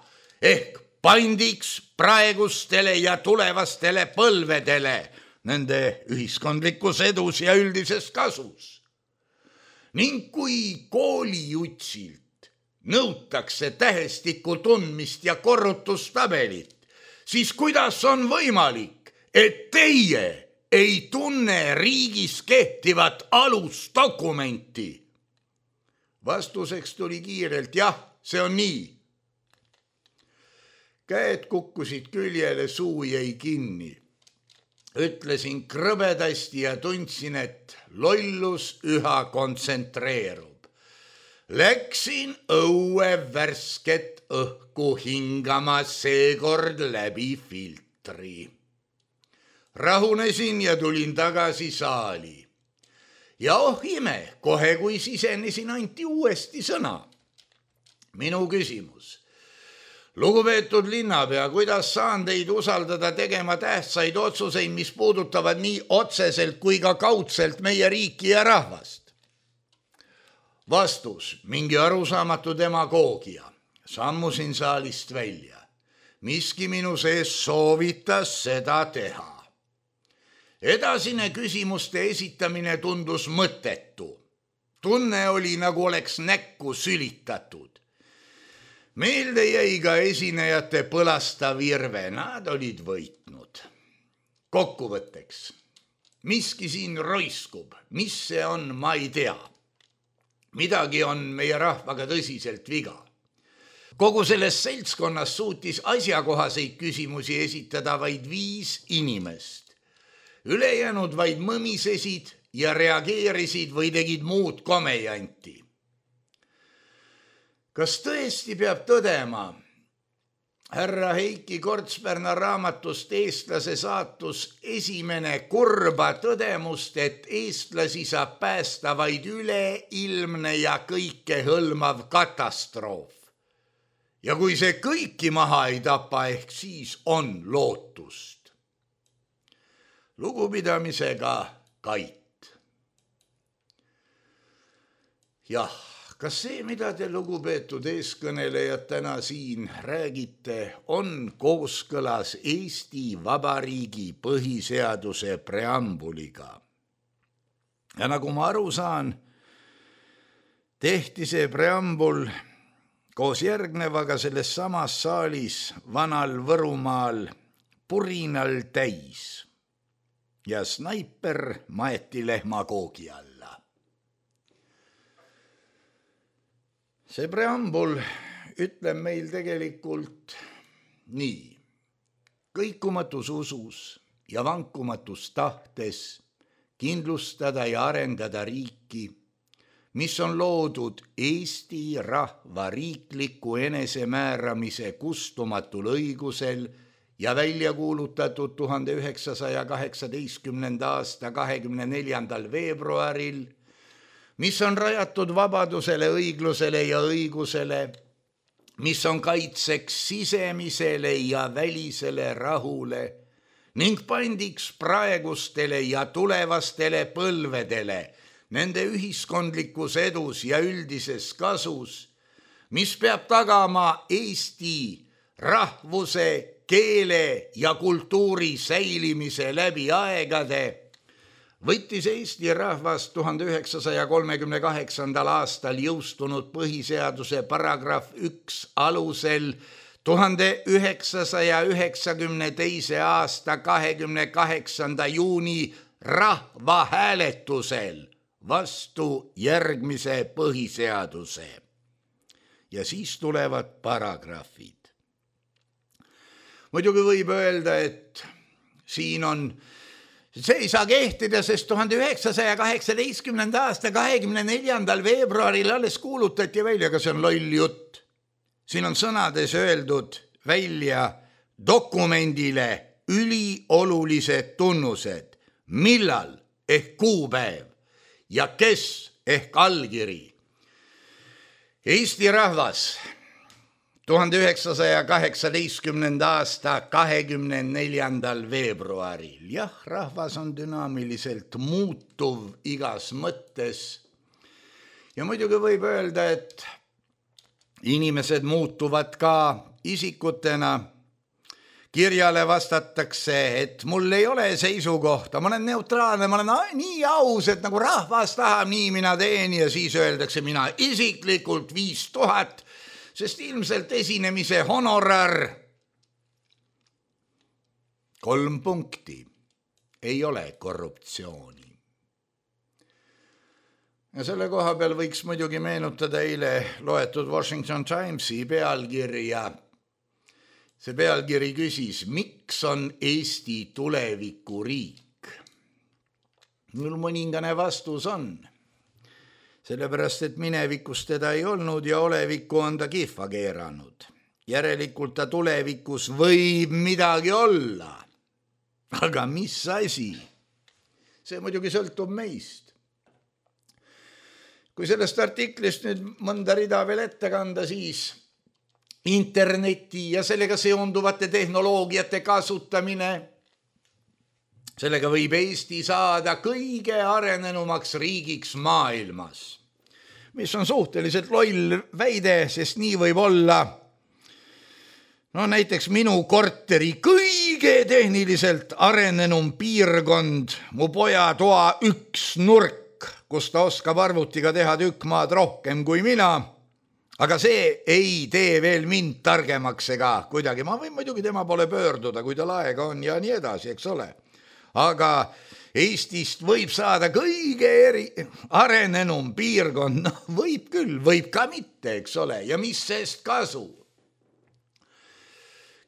ehk pandiks praegustele ja tulevastele põlvedele nende ühiskondlikus edus ja üldises kasus? Ning kui koolijutsilt nõutakse tähestiku tundmist ja korrutustabelit, siis kuidas on võimalik, et teie ei tunne riigis kehtivat alusdokumenti? Vastuseks tuli kiirelt, jah, see on nii. Käed kukkusid küljele, suu jäi kinni. Ütlesin krõbedasti ja tundsin, et lollus üha kontsentreerub. Läksin õue värsket õhku hingama seekord läbi filtri. Rahunesin ja tulin tagasi saali. Ja ime, kohe kui sisenesin, anti uuesti sõna. Minu küsimus. Lugupeetud linnapea, kuidas saan teid usaldada tegema tähtsaid otsuseid, mis puudutavad nii otseselt kui ka kaudselt meie riiki ja rahvast? Vastus, mingi arusaamatu demagoogia. Sammusin saalist välja. Miski minu sees soovitas seda teha. Edasine küsimuste esitamine tundus mõttetu. Tunne oli, nagu oleks näkku sülitatud. Meelde jäi ka esinejate põlastav irve, nad olid võitnud. Kokkuvõtteks, miski siin roiskub, mis see on, ma ei tea. Midagi on meie rahvaga tõsiselt viga. Kogu selles seltskonnas suutis asjakohaseid küsimusi esitada vaid 5 inimest. Ülejäänud vaid mõmisesid ja reageerisid või tegid muud komejanti. Kas tõesti peab tõdema, härra Heiki Kortspärna raamatust Eestlase saatus esimene kurba tõdemust, et eestlasi saab päästa vaid üleilmne ja kõike hõlmav katastroof. Ja kui see kõiki maha ei tapa, ehk siis on lootust. Lugupidamisega Kait. Jah. Kas see, mida te lugupeetud eeskõnelejad täna siin räägite, on kooskõlas Eesti Vabariigi põhiseaduse preambuliga? Ja nagu ma aru saan, tehti see preambul koos järgnevaga selles samas saalis Vanal Võrumaal purinal täis ja snaiper maeti lehmakoogi alla. See preambul ütleb meil tegelikult nii. Kõikumatus usus ja vankumatus tahtes kindlustada ja arendada riiki, mis on loodud Eesti rahva riikliku enesemääramise kustumatul õigusel ja välja kuulutatud 1918. aasta 24. veebruaril, mis on rajatud vabadusele, õiglusele ja õigusele, mis on kaitseks sisemisele ja välisele rahule ning pandiks praegustele ja tulevastele põlvedele nende ühiskondlikus edus ja üldises kasus, mis peab tagama Eesti rahvuse, keele ja kultuuri säilimise läbi aegade, võttis Eesti rahvas 1938. aastal jõustunud põhiseaduse paragrahv 1 alusel 1992. aasta 28. juuni rahvahääletusel vastu järgmise põhiseaduse. Ja siis tulevad paragrahvid. Muidugi võib öelda, et siin on see ei saa kehtida, sest 1918. aasta 24. veebruaril alles kuulutati välja, aga see on loll jutt. Siin on sõnades öeldud välja dokumendile üliolulised tunnused, millal ehk kuupäev ja kes ehk allkiri. Eesti rahvas 1918. aasta 24. veebruaril. Jah, rahvas on dünaamiliselt muutuv igas mõttes. Ja muidugi võib öelda, et inimesed muutuvad ka isikutena. Kirjale vastatakse, et mul ei ole seisukohta, ma olen neutraalne, ma olen nii aus, et nagu rahvas tahab, nii mina teen, ja siis öeldakse mina isiklikult 5000, sest ilmselt esinemise honorar 3 punkti ei ole korruptsiooni. Ja selle koha peal võiks muidugi meenutada eile loetud Washington Timesi pealkirja. See pealkiri küsis, miks on Eesti tulevikuriik? Mul mõningane vastus on. Sellepärast, et minevikus teda ei olnud ja olevikku on ta kihva keeranud. Järelikult ta tulevikus võib midagi olla. Aga mis asi? See muidugi sõltub meist. Kui sellest artiklist nüüd mõnda rida veel ette kanda, siis interneti ja sellega seonduvate tehnoloogiate kasutamine. Sellega võib Eesti saada kõige arenenumaks riigiks maailmas, mis on suhteliselt loll väide, sest nii võib olla näiteks minu korteri kõige tehniliselt arenenum piirkond, mu poja toa üks nurk, kus ta oskab arvutiga teha tükk maad rohkem kui mina. Aga see ei tee veel mind targemaks ega kuidagi. Ma võin muidugi tema poole pöörduda, kui tal aega on ja nii edasi, eks ole. Aga Eestist võib saada kõige arenenum piirkond. Võib küll, võib ka mitte, eks ole. Ja mis sest kasu?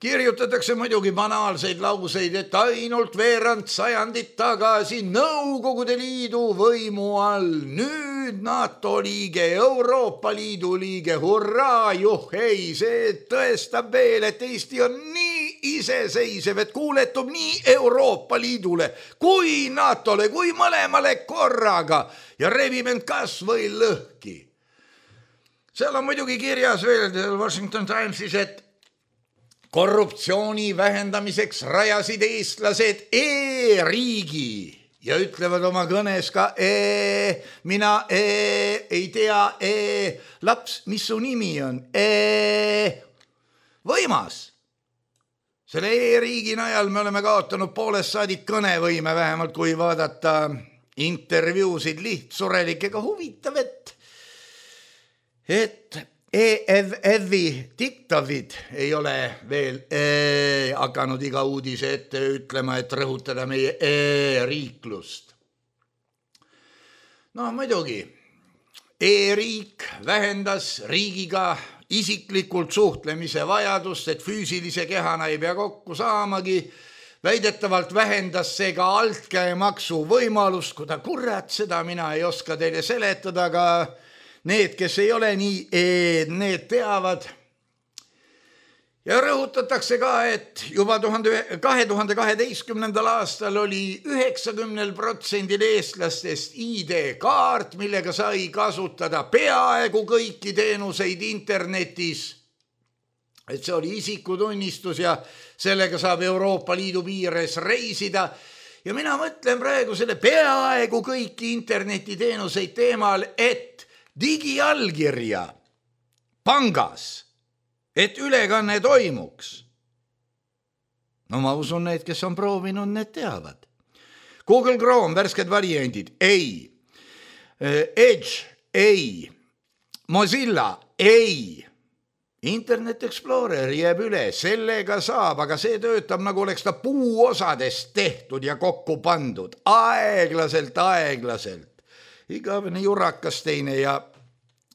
Kirjutatakse muidugi banaalseid lauseid, et ainult veerand sajandit tagasi Nõukogude Liidu võimu all, nüüd NATO liige, Euroopa Liidu liige, hurraa, juhhei, see tõestab veel, et Eesti on nii iseseisev, et kuuletub nii Euroopa Liidule kui NATOle, kui mõlemale korraga ja rebib end kas või lõhki. Seal on muidugi kirjas veel Washington Timesis, et korruptsiooni vähendamiseks rajasid eestlased e-riigi ja ütlevad oma kõnes ka mina ei tea laps, mis su nimi on? Võimas. Selle e-riigi najal me oleme kaotanud poolest saadik kõnevõime, vähemalt kui vaadata intervjuusid lihtsurelikega. Huvitav, et EFF-i diktavid ei ole veel hakanud iga uudise ette ütlema, et rõhutada meie e-riiklust. Muidugi, e-riik vähendas riigiga isiklikult suhtlemise vajadust, et füüsilise kehana ei pea kokku saamagi. Väidetavalt vähendas see ka altkäemaksu võimalust, kuida kurat, seda mina ei oska teile seletada, aga need, kes ei ole nii, need teavad. Ja rõhutatakse ka, et juba 2012. aastal oli 90% eestlastest ID-kaart, millega sai kasutada peaaegu kõiki teenuseid internetis. Et see oli isikutunnistus ja sellega saab Euroopa Liidu piires reisida. Ja mina mõtlen praegu selle peaaegu kõiki internetiteenuseid teemal, et digiallkirja pangas, et ülekanne toimuks. Ma usun, need, kes on proovinud, need teavad. Google Chrome, värsked variandid, ei. Edge, ei. Mozilla, ei. Internet Explorer jääb üle, sellega saab, aga see töötab, nagu oleks ta puuosadest tehtud ja kokku pandud. Aeglaselt. Igavene jurakas teine ja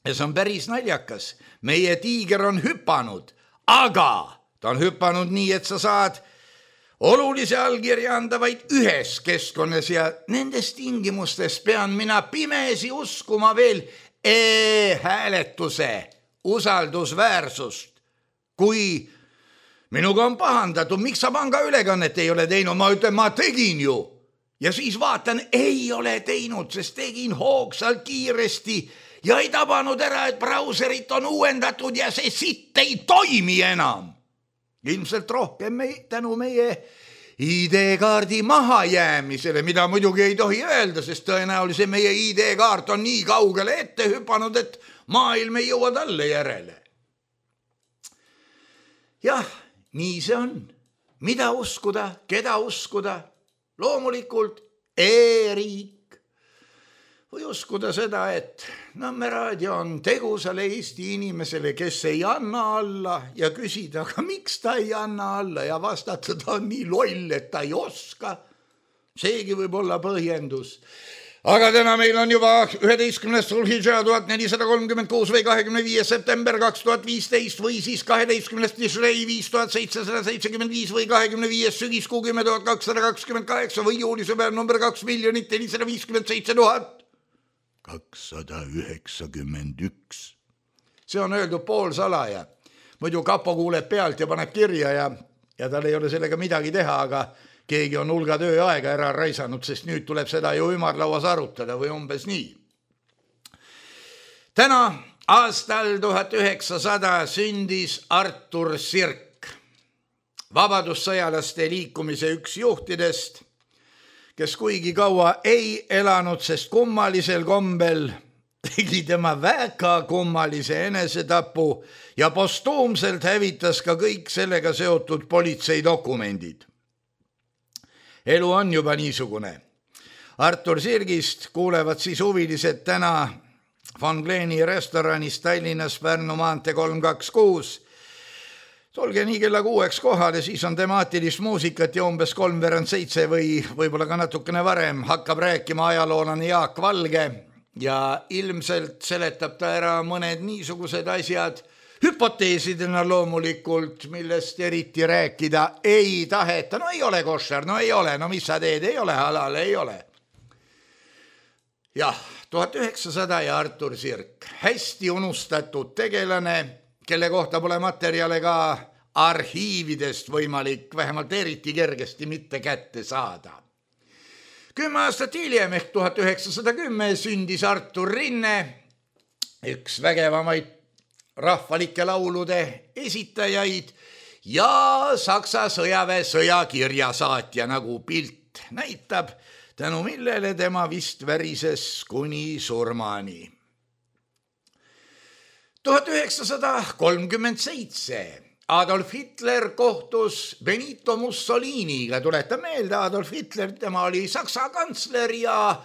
see on päris naljakas. Meie tiiger on hüpanud, aga ta on hüpanud nii, et sa saad olulise allkirja anda vaid ühes keskkonnas ja nendes tingimustes pean mina pimesi uskuma veel e-hääletuse usaldusväärsust, kui minuga on pahandatud, miks sa pangaülekannet ei ole teinud, ma ütlen, ma tegin ju. Ja siis vaatan, ei ole teinud, sest tegin hoogsalt kiiresti ja ei tabanud ära, et brauserit on uuendatud ja see sitt ei toimi enam. Ilmselt rohkem tänu meie ID-kaardi mahajäämisele, mida muidugi ei tohi öelda, sest tõenäoliselt meie ID-kaart on nii kaugele ette hüpanud, et maailm ei jõua talle järele. Jah, nii see on. Mida uskuda, keda uskuda? Loomulikult e-riik. Või uskuda seda, et Nõmme raadio on tegusale Eesti inimesele, kes ei anna alla ja küsida, aga miks ta ei anna alla ja vastata, ta on nii loll, et ta ei oska. Seegi võib olla põhjendus. Aga täna meil on juba 11. Sulhidžaa 1436 või 25. september 2015 või siis 12. Tishrei 5775 või 25. sügiskuu 10.228 või juulisõber number 2 457 291. See on öeldud poolsalaja. Muidu kapo kuuleb pealt ja paneb kirja ja tal ei ole sellega midagi teha, aga keegi on hulga tööaega ära raisanud, sest nüüd tuleb seda ju ümarlauas arutada või umbes nii. Täna aastal 1900 sündis Artur Sirk, vabadussõjalaste liikumise üks juhtidest, kes kuigi kaua ei elanud, sest kummalisel kombel tegi tema väga kummalise enesetapu ja postuumselt hävitas ka kõik sellega seotud politseidokumendid. Elu on juba niisugune. Artur Sirgist kuulevad siis huvilised täna Von Gleeni restoranis Tallinnas Pärnu maantee 326. Tulge nii kella 6 kohale, siis on temaatilist muusikat ja umbes 6:03 või võib-olla ka natukene varem hakkab rääkima ajaloolane Jaak Valge ja ilmselt seletab ta ära mõned niisugused asjad, hüpoteesidena loomulikult, millest eriti rääkida ei taheta. No ei ole koššer, no ei ole, no mis sa teed, ei ole halal, ei ole. Jah, 1900 ja Artur Sirk, hästi unustatud tegelane, kelle kohta pole materjale ka arhiividest võimalik vähemalt eriti kergesti mitte kätte saada. 10 aastat hiljem ehk 1910 sündis Artur Rinne, üks vägevamaid rahvalike laulude esitajaid ja Saksa sõjaväe sõjakirjasaatja, nagu pilt näitab, tänu millele tema vist värises kuni surmani. 1937 Adolf Hitler kohtus Benito Mussoliniga. Tuletan meelde, Adolf Hitler, tema oli Saksa kantsler ja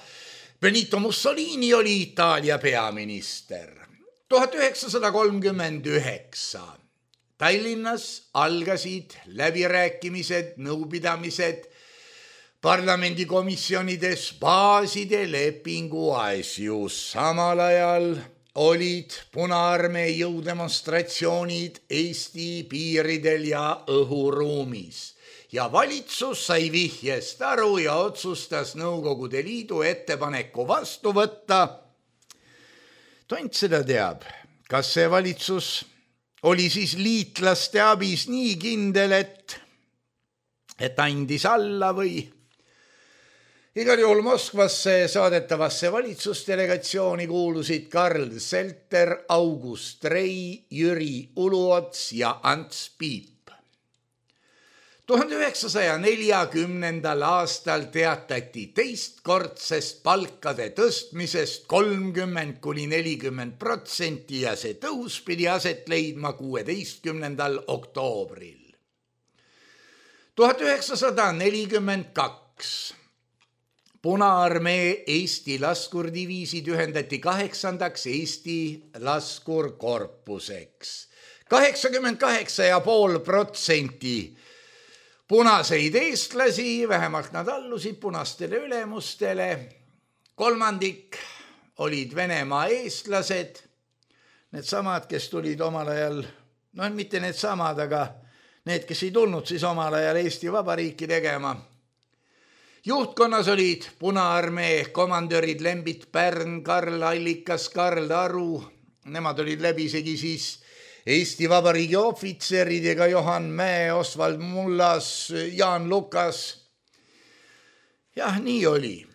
Benito Mussolini oli Itaalia peaminister. 1939 Tallinnas algasid läbirääkimised, nõupidamised parlamendikomisjonides baaside lepingu asjus. Samal ajal olid Punaarmee jõudemonstratsioonid Eesti piiridel ja õhuruumis. Ja valitsus sai vihjest aru ja otsustas Nõukogude Liidu ettepaneku vastu võtta. Tont seda teab, kas see valitsus oli siis liitlaste abis nii kindel, et andis alla või igal juhul Moskvasse saadetavasse valitsusdelegatsiooni kuulusid Karl Selter, August Rei, Jüri Uluots ja Ants Piip. 1940. aastal teatati teistkordsest palkade tõstmisest 30–40% ja see tõus pidi aset leidma 16. oktoobril. 1942 Punaarmee Eesti laskurdiviisid ühendati 8. Eesti laskurkorpuseks. 88,5% punaseid eestlasi, vähemalt nad allusid punastele ülemustele. 3% olid Venemaa eestlased, needsamad, kes tulid omal ajal, no mitte needsamad, aga need, kes ei tulnud siis omal ajal Eesti Vabariiki tegema. Juhtkonnas olid Punaarmee komandörid Lembit Pärn, Karl Allikas, Karl Aru, nemad olid läbisegi siis Eesti Vabariigi ohvitserid ega Johan Mäe, Osvald Mullas, Jaan Lukas. Jah, nii oli.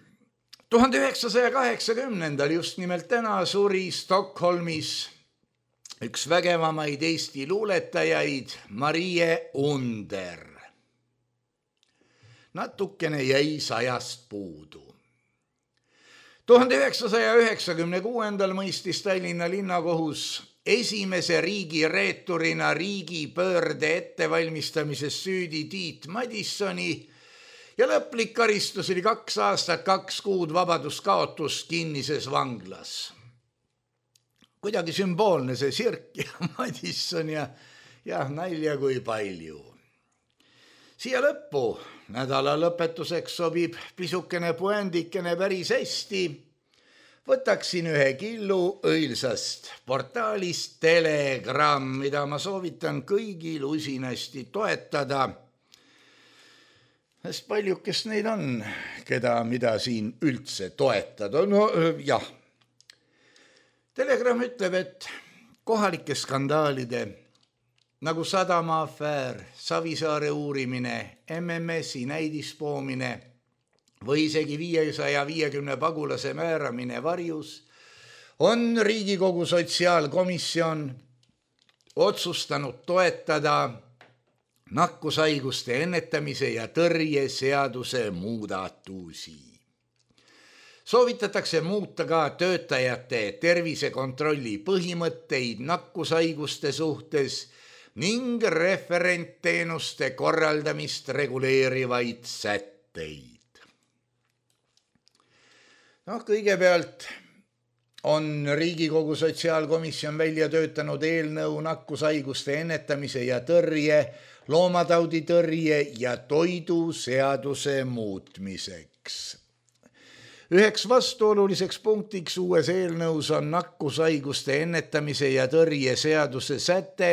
1980. just nimelt täna suri Stockholmis üks vägevamaid Eesti luuletajaid, Marie Under. Natukene jäi 100 puudu. 1996. mõistis Tallinna linnakohus esimese riigireeturina riigipöörde ettevalmistamises süüdi Tiit Madissoni ja lõplik karistus oli 2 aastat, 2 kuud vabaduskaotust kinnises vanglas. Kuidagi sümboolne see Sirk ja Madisson ja nalja kui palju. Siia lõppu nädala lõpetuseks sobib pisukene puändikene päris hästi. Võtaksin ühe killu õilsast portaalist Telegram, mida ma soovitan kõigil usinasti toetada. Sest paljukest neid on, mida siin üldse toetada. No jah. Telegram ütleb, et kohalike skandaalide nagu Sadama afäär, Savisaare uurimine, MMS-i näidispoomine või isegi 550 pagulase määramine varjus on Riigikogu sotsiaalkomisjon otsustanud toetada nakkushaiguste ennetamise ja tõrje seaduse muudatusi. Soovitatakse muuta ka töötajate tervisekontrolli põhimõtteid nakkushaiguste suhtes ning referentteenuste korraldamist reguleerivaid sätteid. Kõigepealt on Riigikogu sotsiaalkomisjon välja töötanud eelnõu nakkushaiguste ennetamise ja tõrje, loomatauditõrje ja toiduseaduse muutmiseks. Üheks vastuoluliseks punktiks uues eelnõus on nakkushaiguste ennetamise ja tõrje seaduse säte,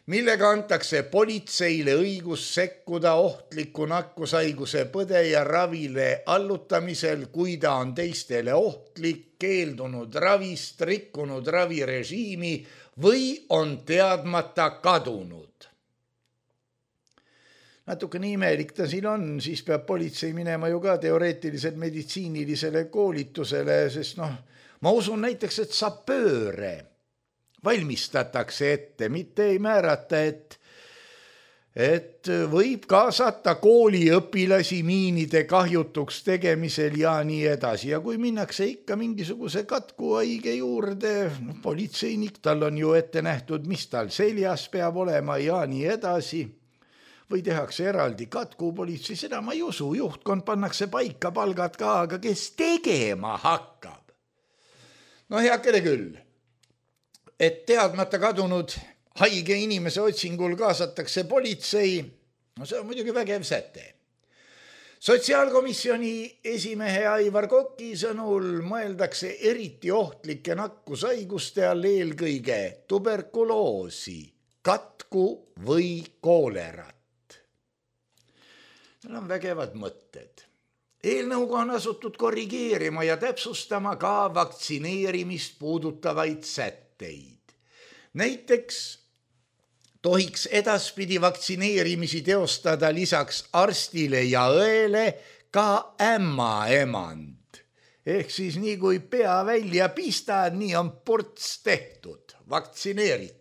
millega antakse politseile õigus sekkuda ohtliku nakkushaiguse põdeja ravile allutamisel, kui ta on teistele ohtlik, keeldunud ravist, rikkunud ravirežiimi või on teadmata kadunud. Natukene imelik ta siin on, siis peab politsei minema ju ka teoreetiliselt meditsiinilisele koolitusele, sest ma usun näiteks, et sapööre valmistatakse ette, mitte ei määrata, et võib kaasata kooliõpilasi miinide kahjutuks tegemisel ja nii edasi. Ja kui minnakse ikka mingisuguse katkuhaige juurde, politseinik, tal on ju ette nähtud, mis tal seljas peab olema ja nii edasi. Või tehakse eraldi katkupolitsei, seda ma ei usu, juhtkond pannakse paika, palgad ka, aga kes tegema hakkab? Heakene küll, et teadmata kadunud haige inimese otsingul kaasatakse politsei, see on muidugi vägev säte. Sotsiaalkomisjoni esimehe Aivar Koki sõnul mõeldakse eriti ohtlike nakkushaiguste all eelkõige tuberkuloosi, katku või koolerat. Need on vägevad mõtted. Eelnõuga on asutud korrigeerima ja täpsustama ka vaktsineerimist puudutavaid sätteid. Näiteks tohiks edaspidi vaktsineerimisi teostada lisaks arstile ja õele ka ämmaemand. Ehk siis nii kui pea välja pistad, nii on ports tehtud, vaktsineeritud.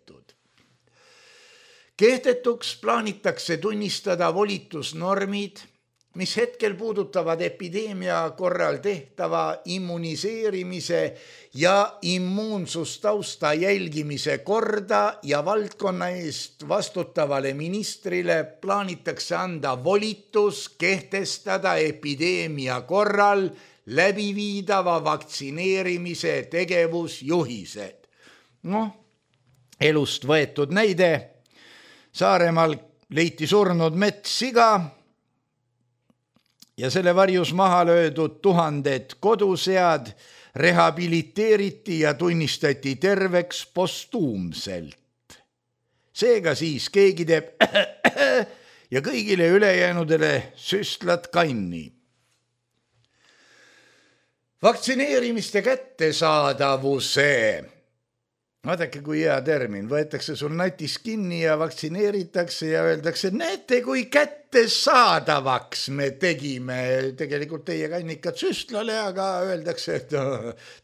Kehtetuks plaanitakse tunnistada volitusnormid, mis hetkel puudutavad epideemia korral tehtava immuniseerimise ja immuunsustausta jälgimise korda ja valdkonna eest vastutavale ministrile plaanitakse anda volitus kehtestada epideemia korral läbiviidava vaktsineerimise tegevusjuhised. Elust võetud näide. Saaremaal leiti surnud metssiga ja selle varjus maha löödud 1000 kodusead rehabiliteeriti ja tunnistati terveks postuumselt. Seega siis keegi teeb ja kõigile ülejäänudele süstlad kanni. Vaktsineerimiste kättesaadavuse Vaadake, kui hea termin, võetakse sul natis kinni ja vaktsineeritakse ja öeldakse, näete, kui kätte saadavaks me tegime. Tegelikult teie kannikad süstlale, aga öeldakse, et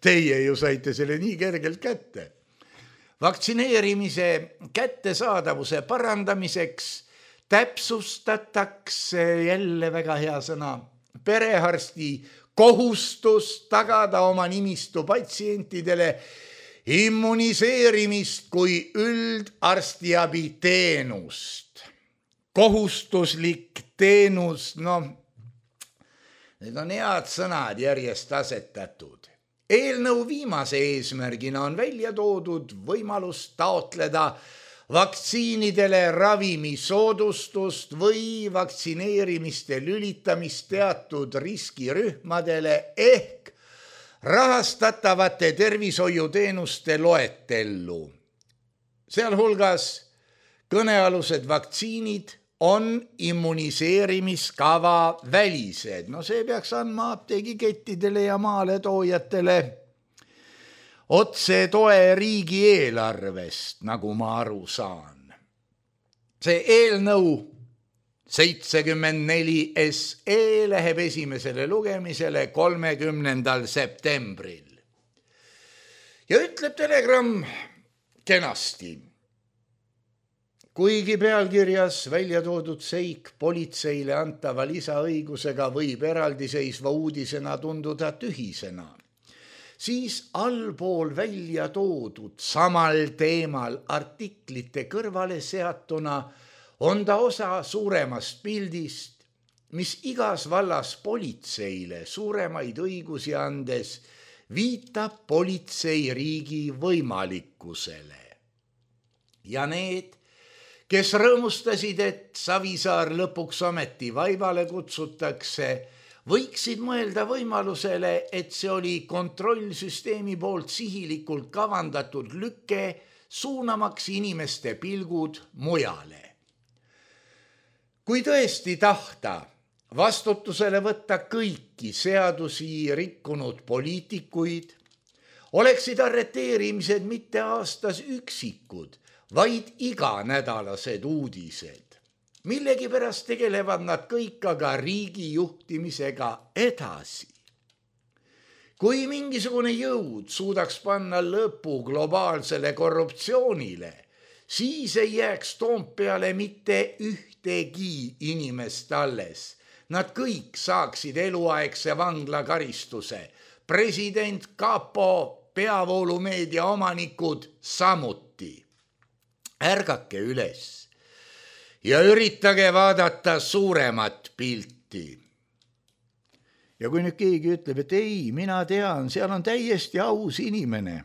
teie ju saite selle nii kergelt kätte. Vaktsineerimise kättesaadavuse parandamiseks täpsustatakse, jälle väga hea sõna, perearsti kohustus tagada oma nimistu patsientidele immuniseerimist kui üldarstiabi teenust. Kohustuslik teenus, need on head sõnad järjest asetatud. Eelnõu viimase eesmärgina on välja toodud võimalus taotleda vaktsiinidele ravimisoodustust või vaktsineerimiste lülitamist teatud riskirühmadele ehk rahastatavate tervishoiuteenuste loetellu. Sealhulgas kõnealused vaktsiinid on immuniseerimiskava välised. See peaks andma apteegikettidele ja maaletoojatele otse toe riigieelarvest, nagu ma aru saan. See eelnõu 74 SE läheb esimesele lugemisele 30. septembril. Ja ütleb Telegram kenasti. Kuigi pealkirjas välja toodud seik politseile antava lisaõigusega võib eraldiseisva uudisena tunduda tühisena, siis allpool välja toodud samal teemal artiklite kõrvale seatuna on ta osa suuremast pildist, mis igas vallas politseile suuremaid õigusi andes viitab politseiriigi võimalikkusele. Ja need, kes rõõmustasid, et Savisaar lõpuks ometi vaibale kutsutakse, võiksid mõelda võimalusele, et see oli kontrollsüsteemi poolt sihilikult kavandatud lükke suunamaks inimeste pilgud mujale. Kui tõesti tahta vastutusele võtta kõiki seadusi rikkunud poliitikuid, oleksid arreteerimised mitte aastas üksikud, vaid iganädalased uudised. Millegipärast tegelevad nad kõik aga riigi juhtimisega edasi. Kui mingisugune jõud suudaks panna lõpu globaalsele korruptsioonile, siis ei jääks Toompeale mitte ühtegi inimest alles. Nad kõik saaksid eluaegse vanglakaristuse. President, kapo, peavoolumeedia omanikud samuti. Ärgake üles ja üritage vaadata suuremat pilti. Ja kui nüüd keegi ütleb, et ei, mina tean, seal on täiesti aus inimene.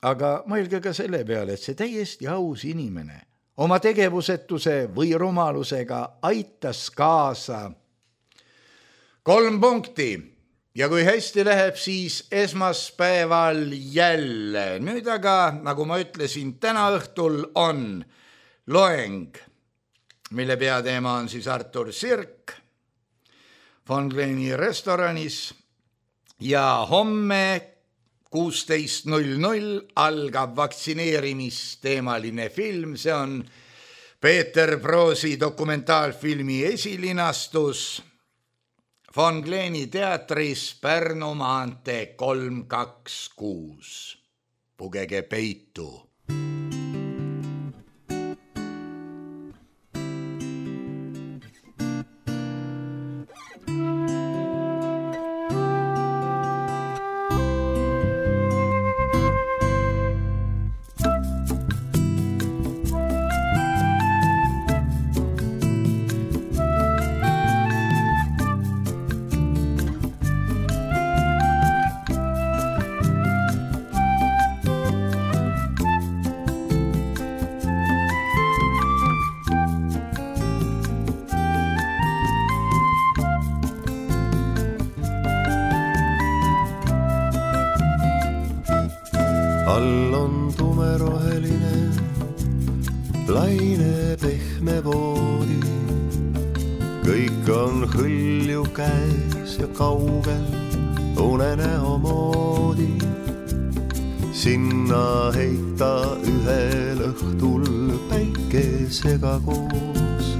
Aga mõelge ka selle peale, et see täiesti aus inimene oma tegevusetuse või rumalusega aitas kaasa 3 punkti. Ja kui hästi läheb, siis esmaspäeval jälle. Nüüd aga, nagu ma ütlesin, täna õhtul on loeng, mille peateema on siis Artur Sirk Von Gleni restoranis ja homme 16:00 algab vaktsineerimisteemaline film, see on Peeter Proosi dokumentaalfilmi esilinastus Von Gleni teatris Pärnu maantee 326. Pugege peitu. All on tumeroheline, laine pehme voodi. Kõik on hõlju käes ja kaugel unenäo moodi. sinna heita ühel õhtul päikesega koos.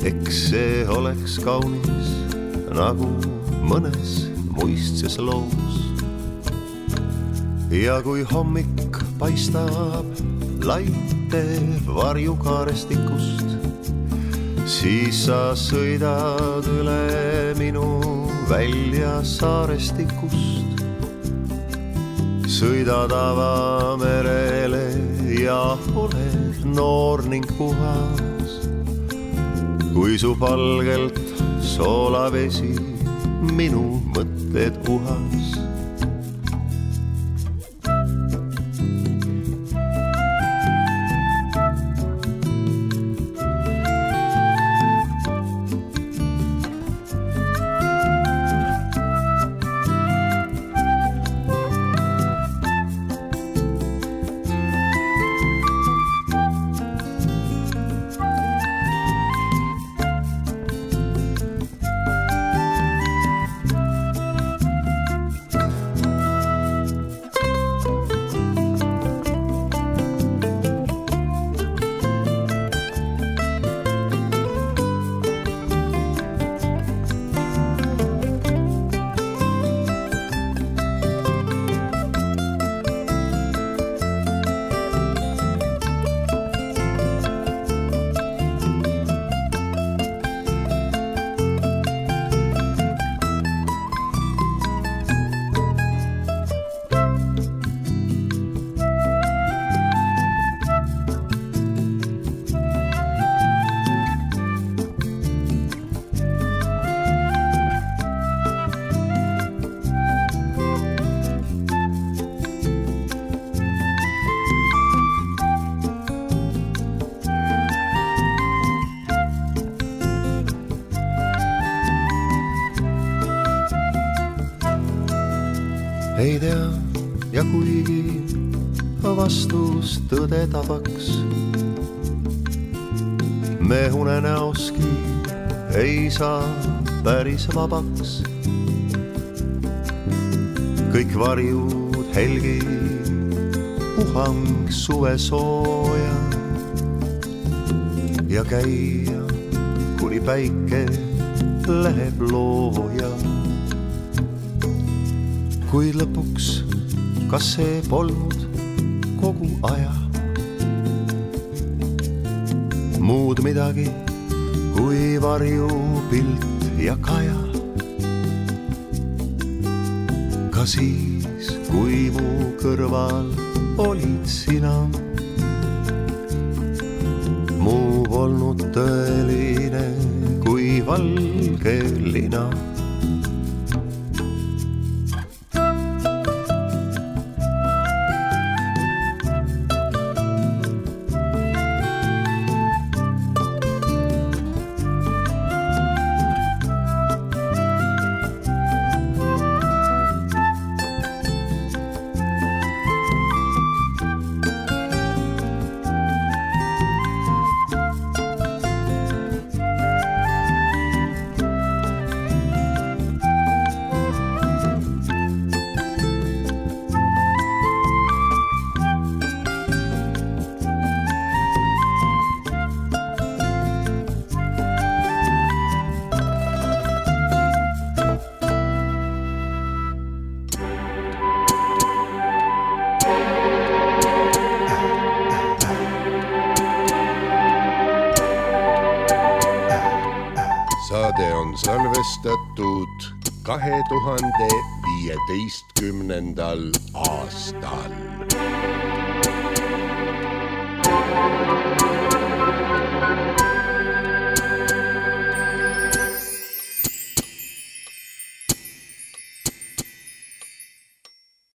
Eks see oleks kaunis nagu mõnes muistses loos. Ja kui hommik paistab laite varjukaarestikust, siis sa sõidad üle minu välja saarestikust. Sõidad avamerele ja oled noor ning puhas, kui su palgelt soolavesi minu mõtted uhas. Ei tea, ja kuigi vastus tõde tabaks, me unenäoski ei saa päris vabaks. Kõik varjud helgi, puhang suve sooja ja käia, kuni päike läheb looja. Kuid lõpuks, kas see polnud kogu aja muud midagi kui varjupilt ja kaja? Ka siis, kui mu kõrval olid sina, mu polnud tõeline kui valge lina. Saade on salvestatud 2015. aastal.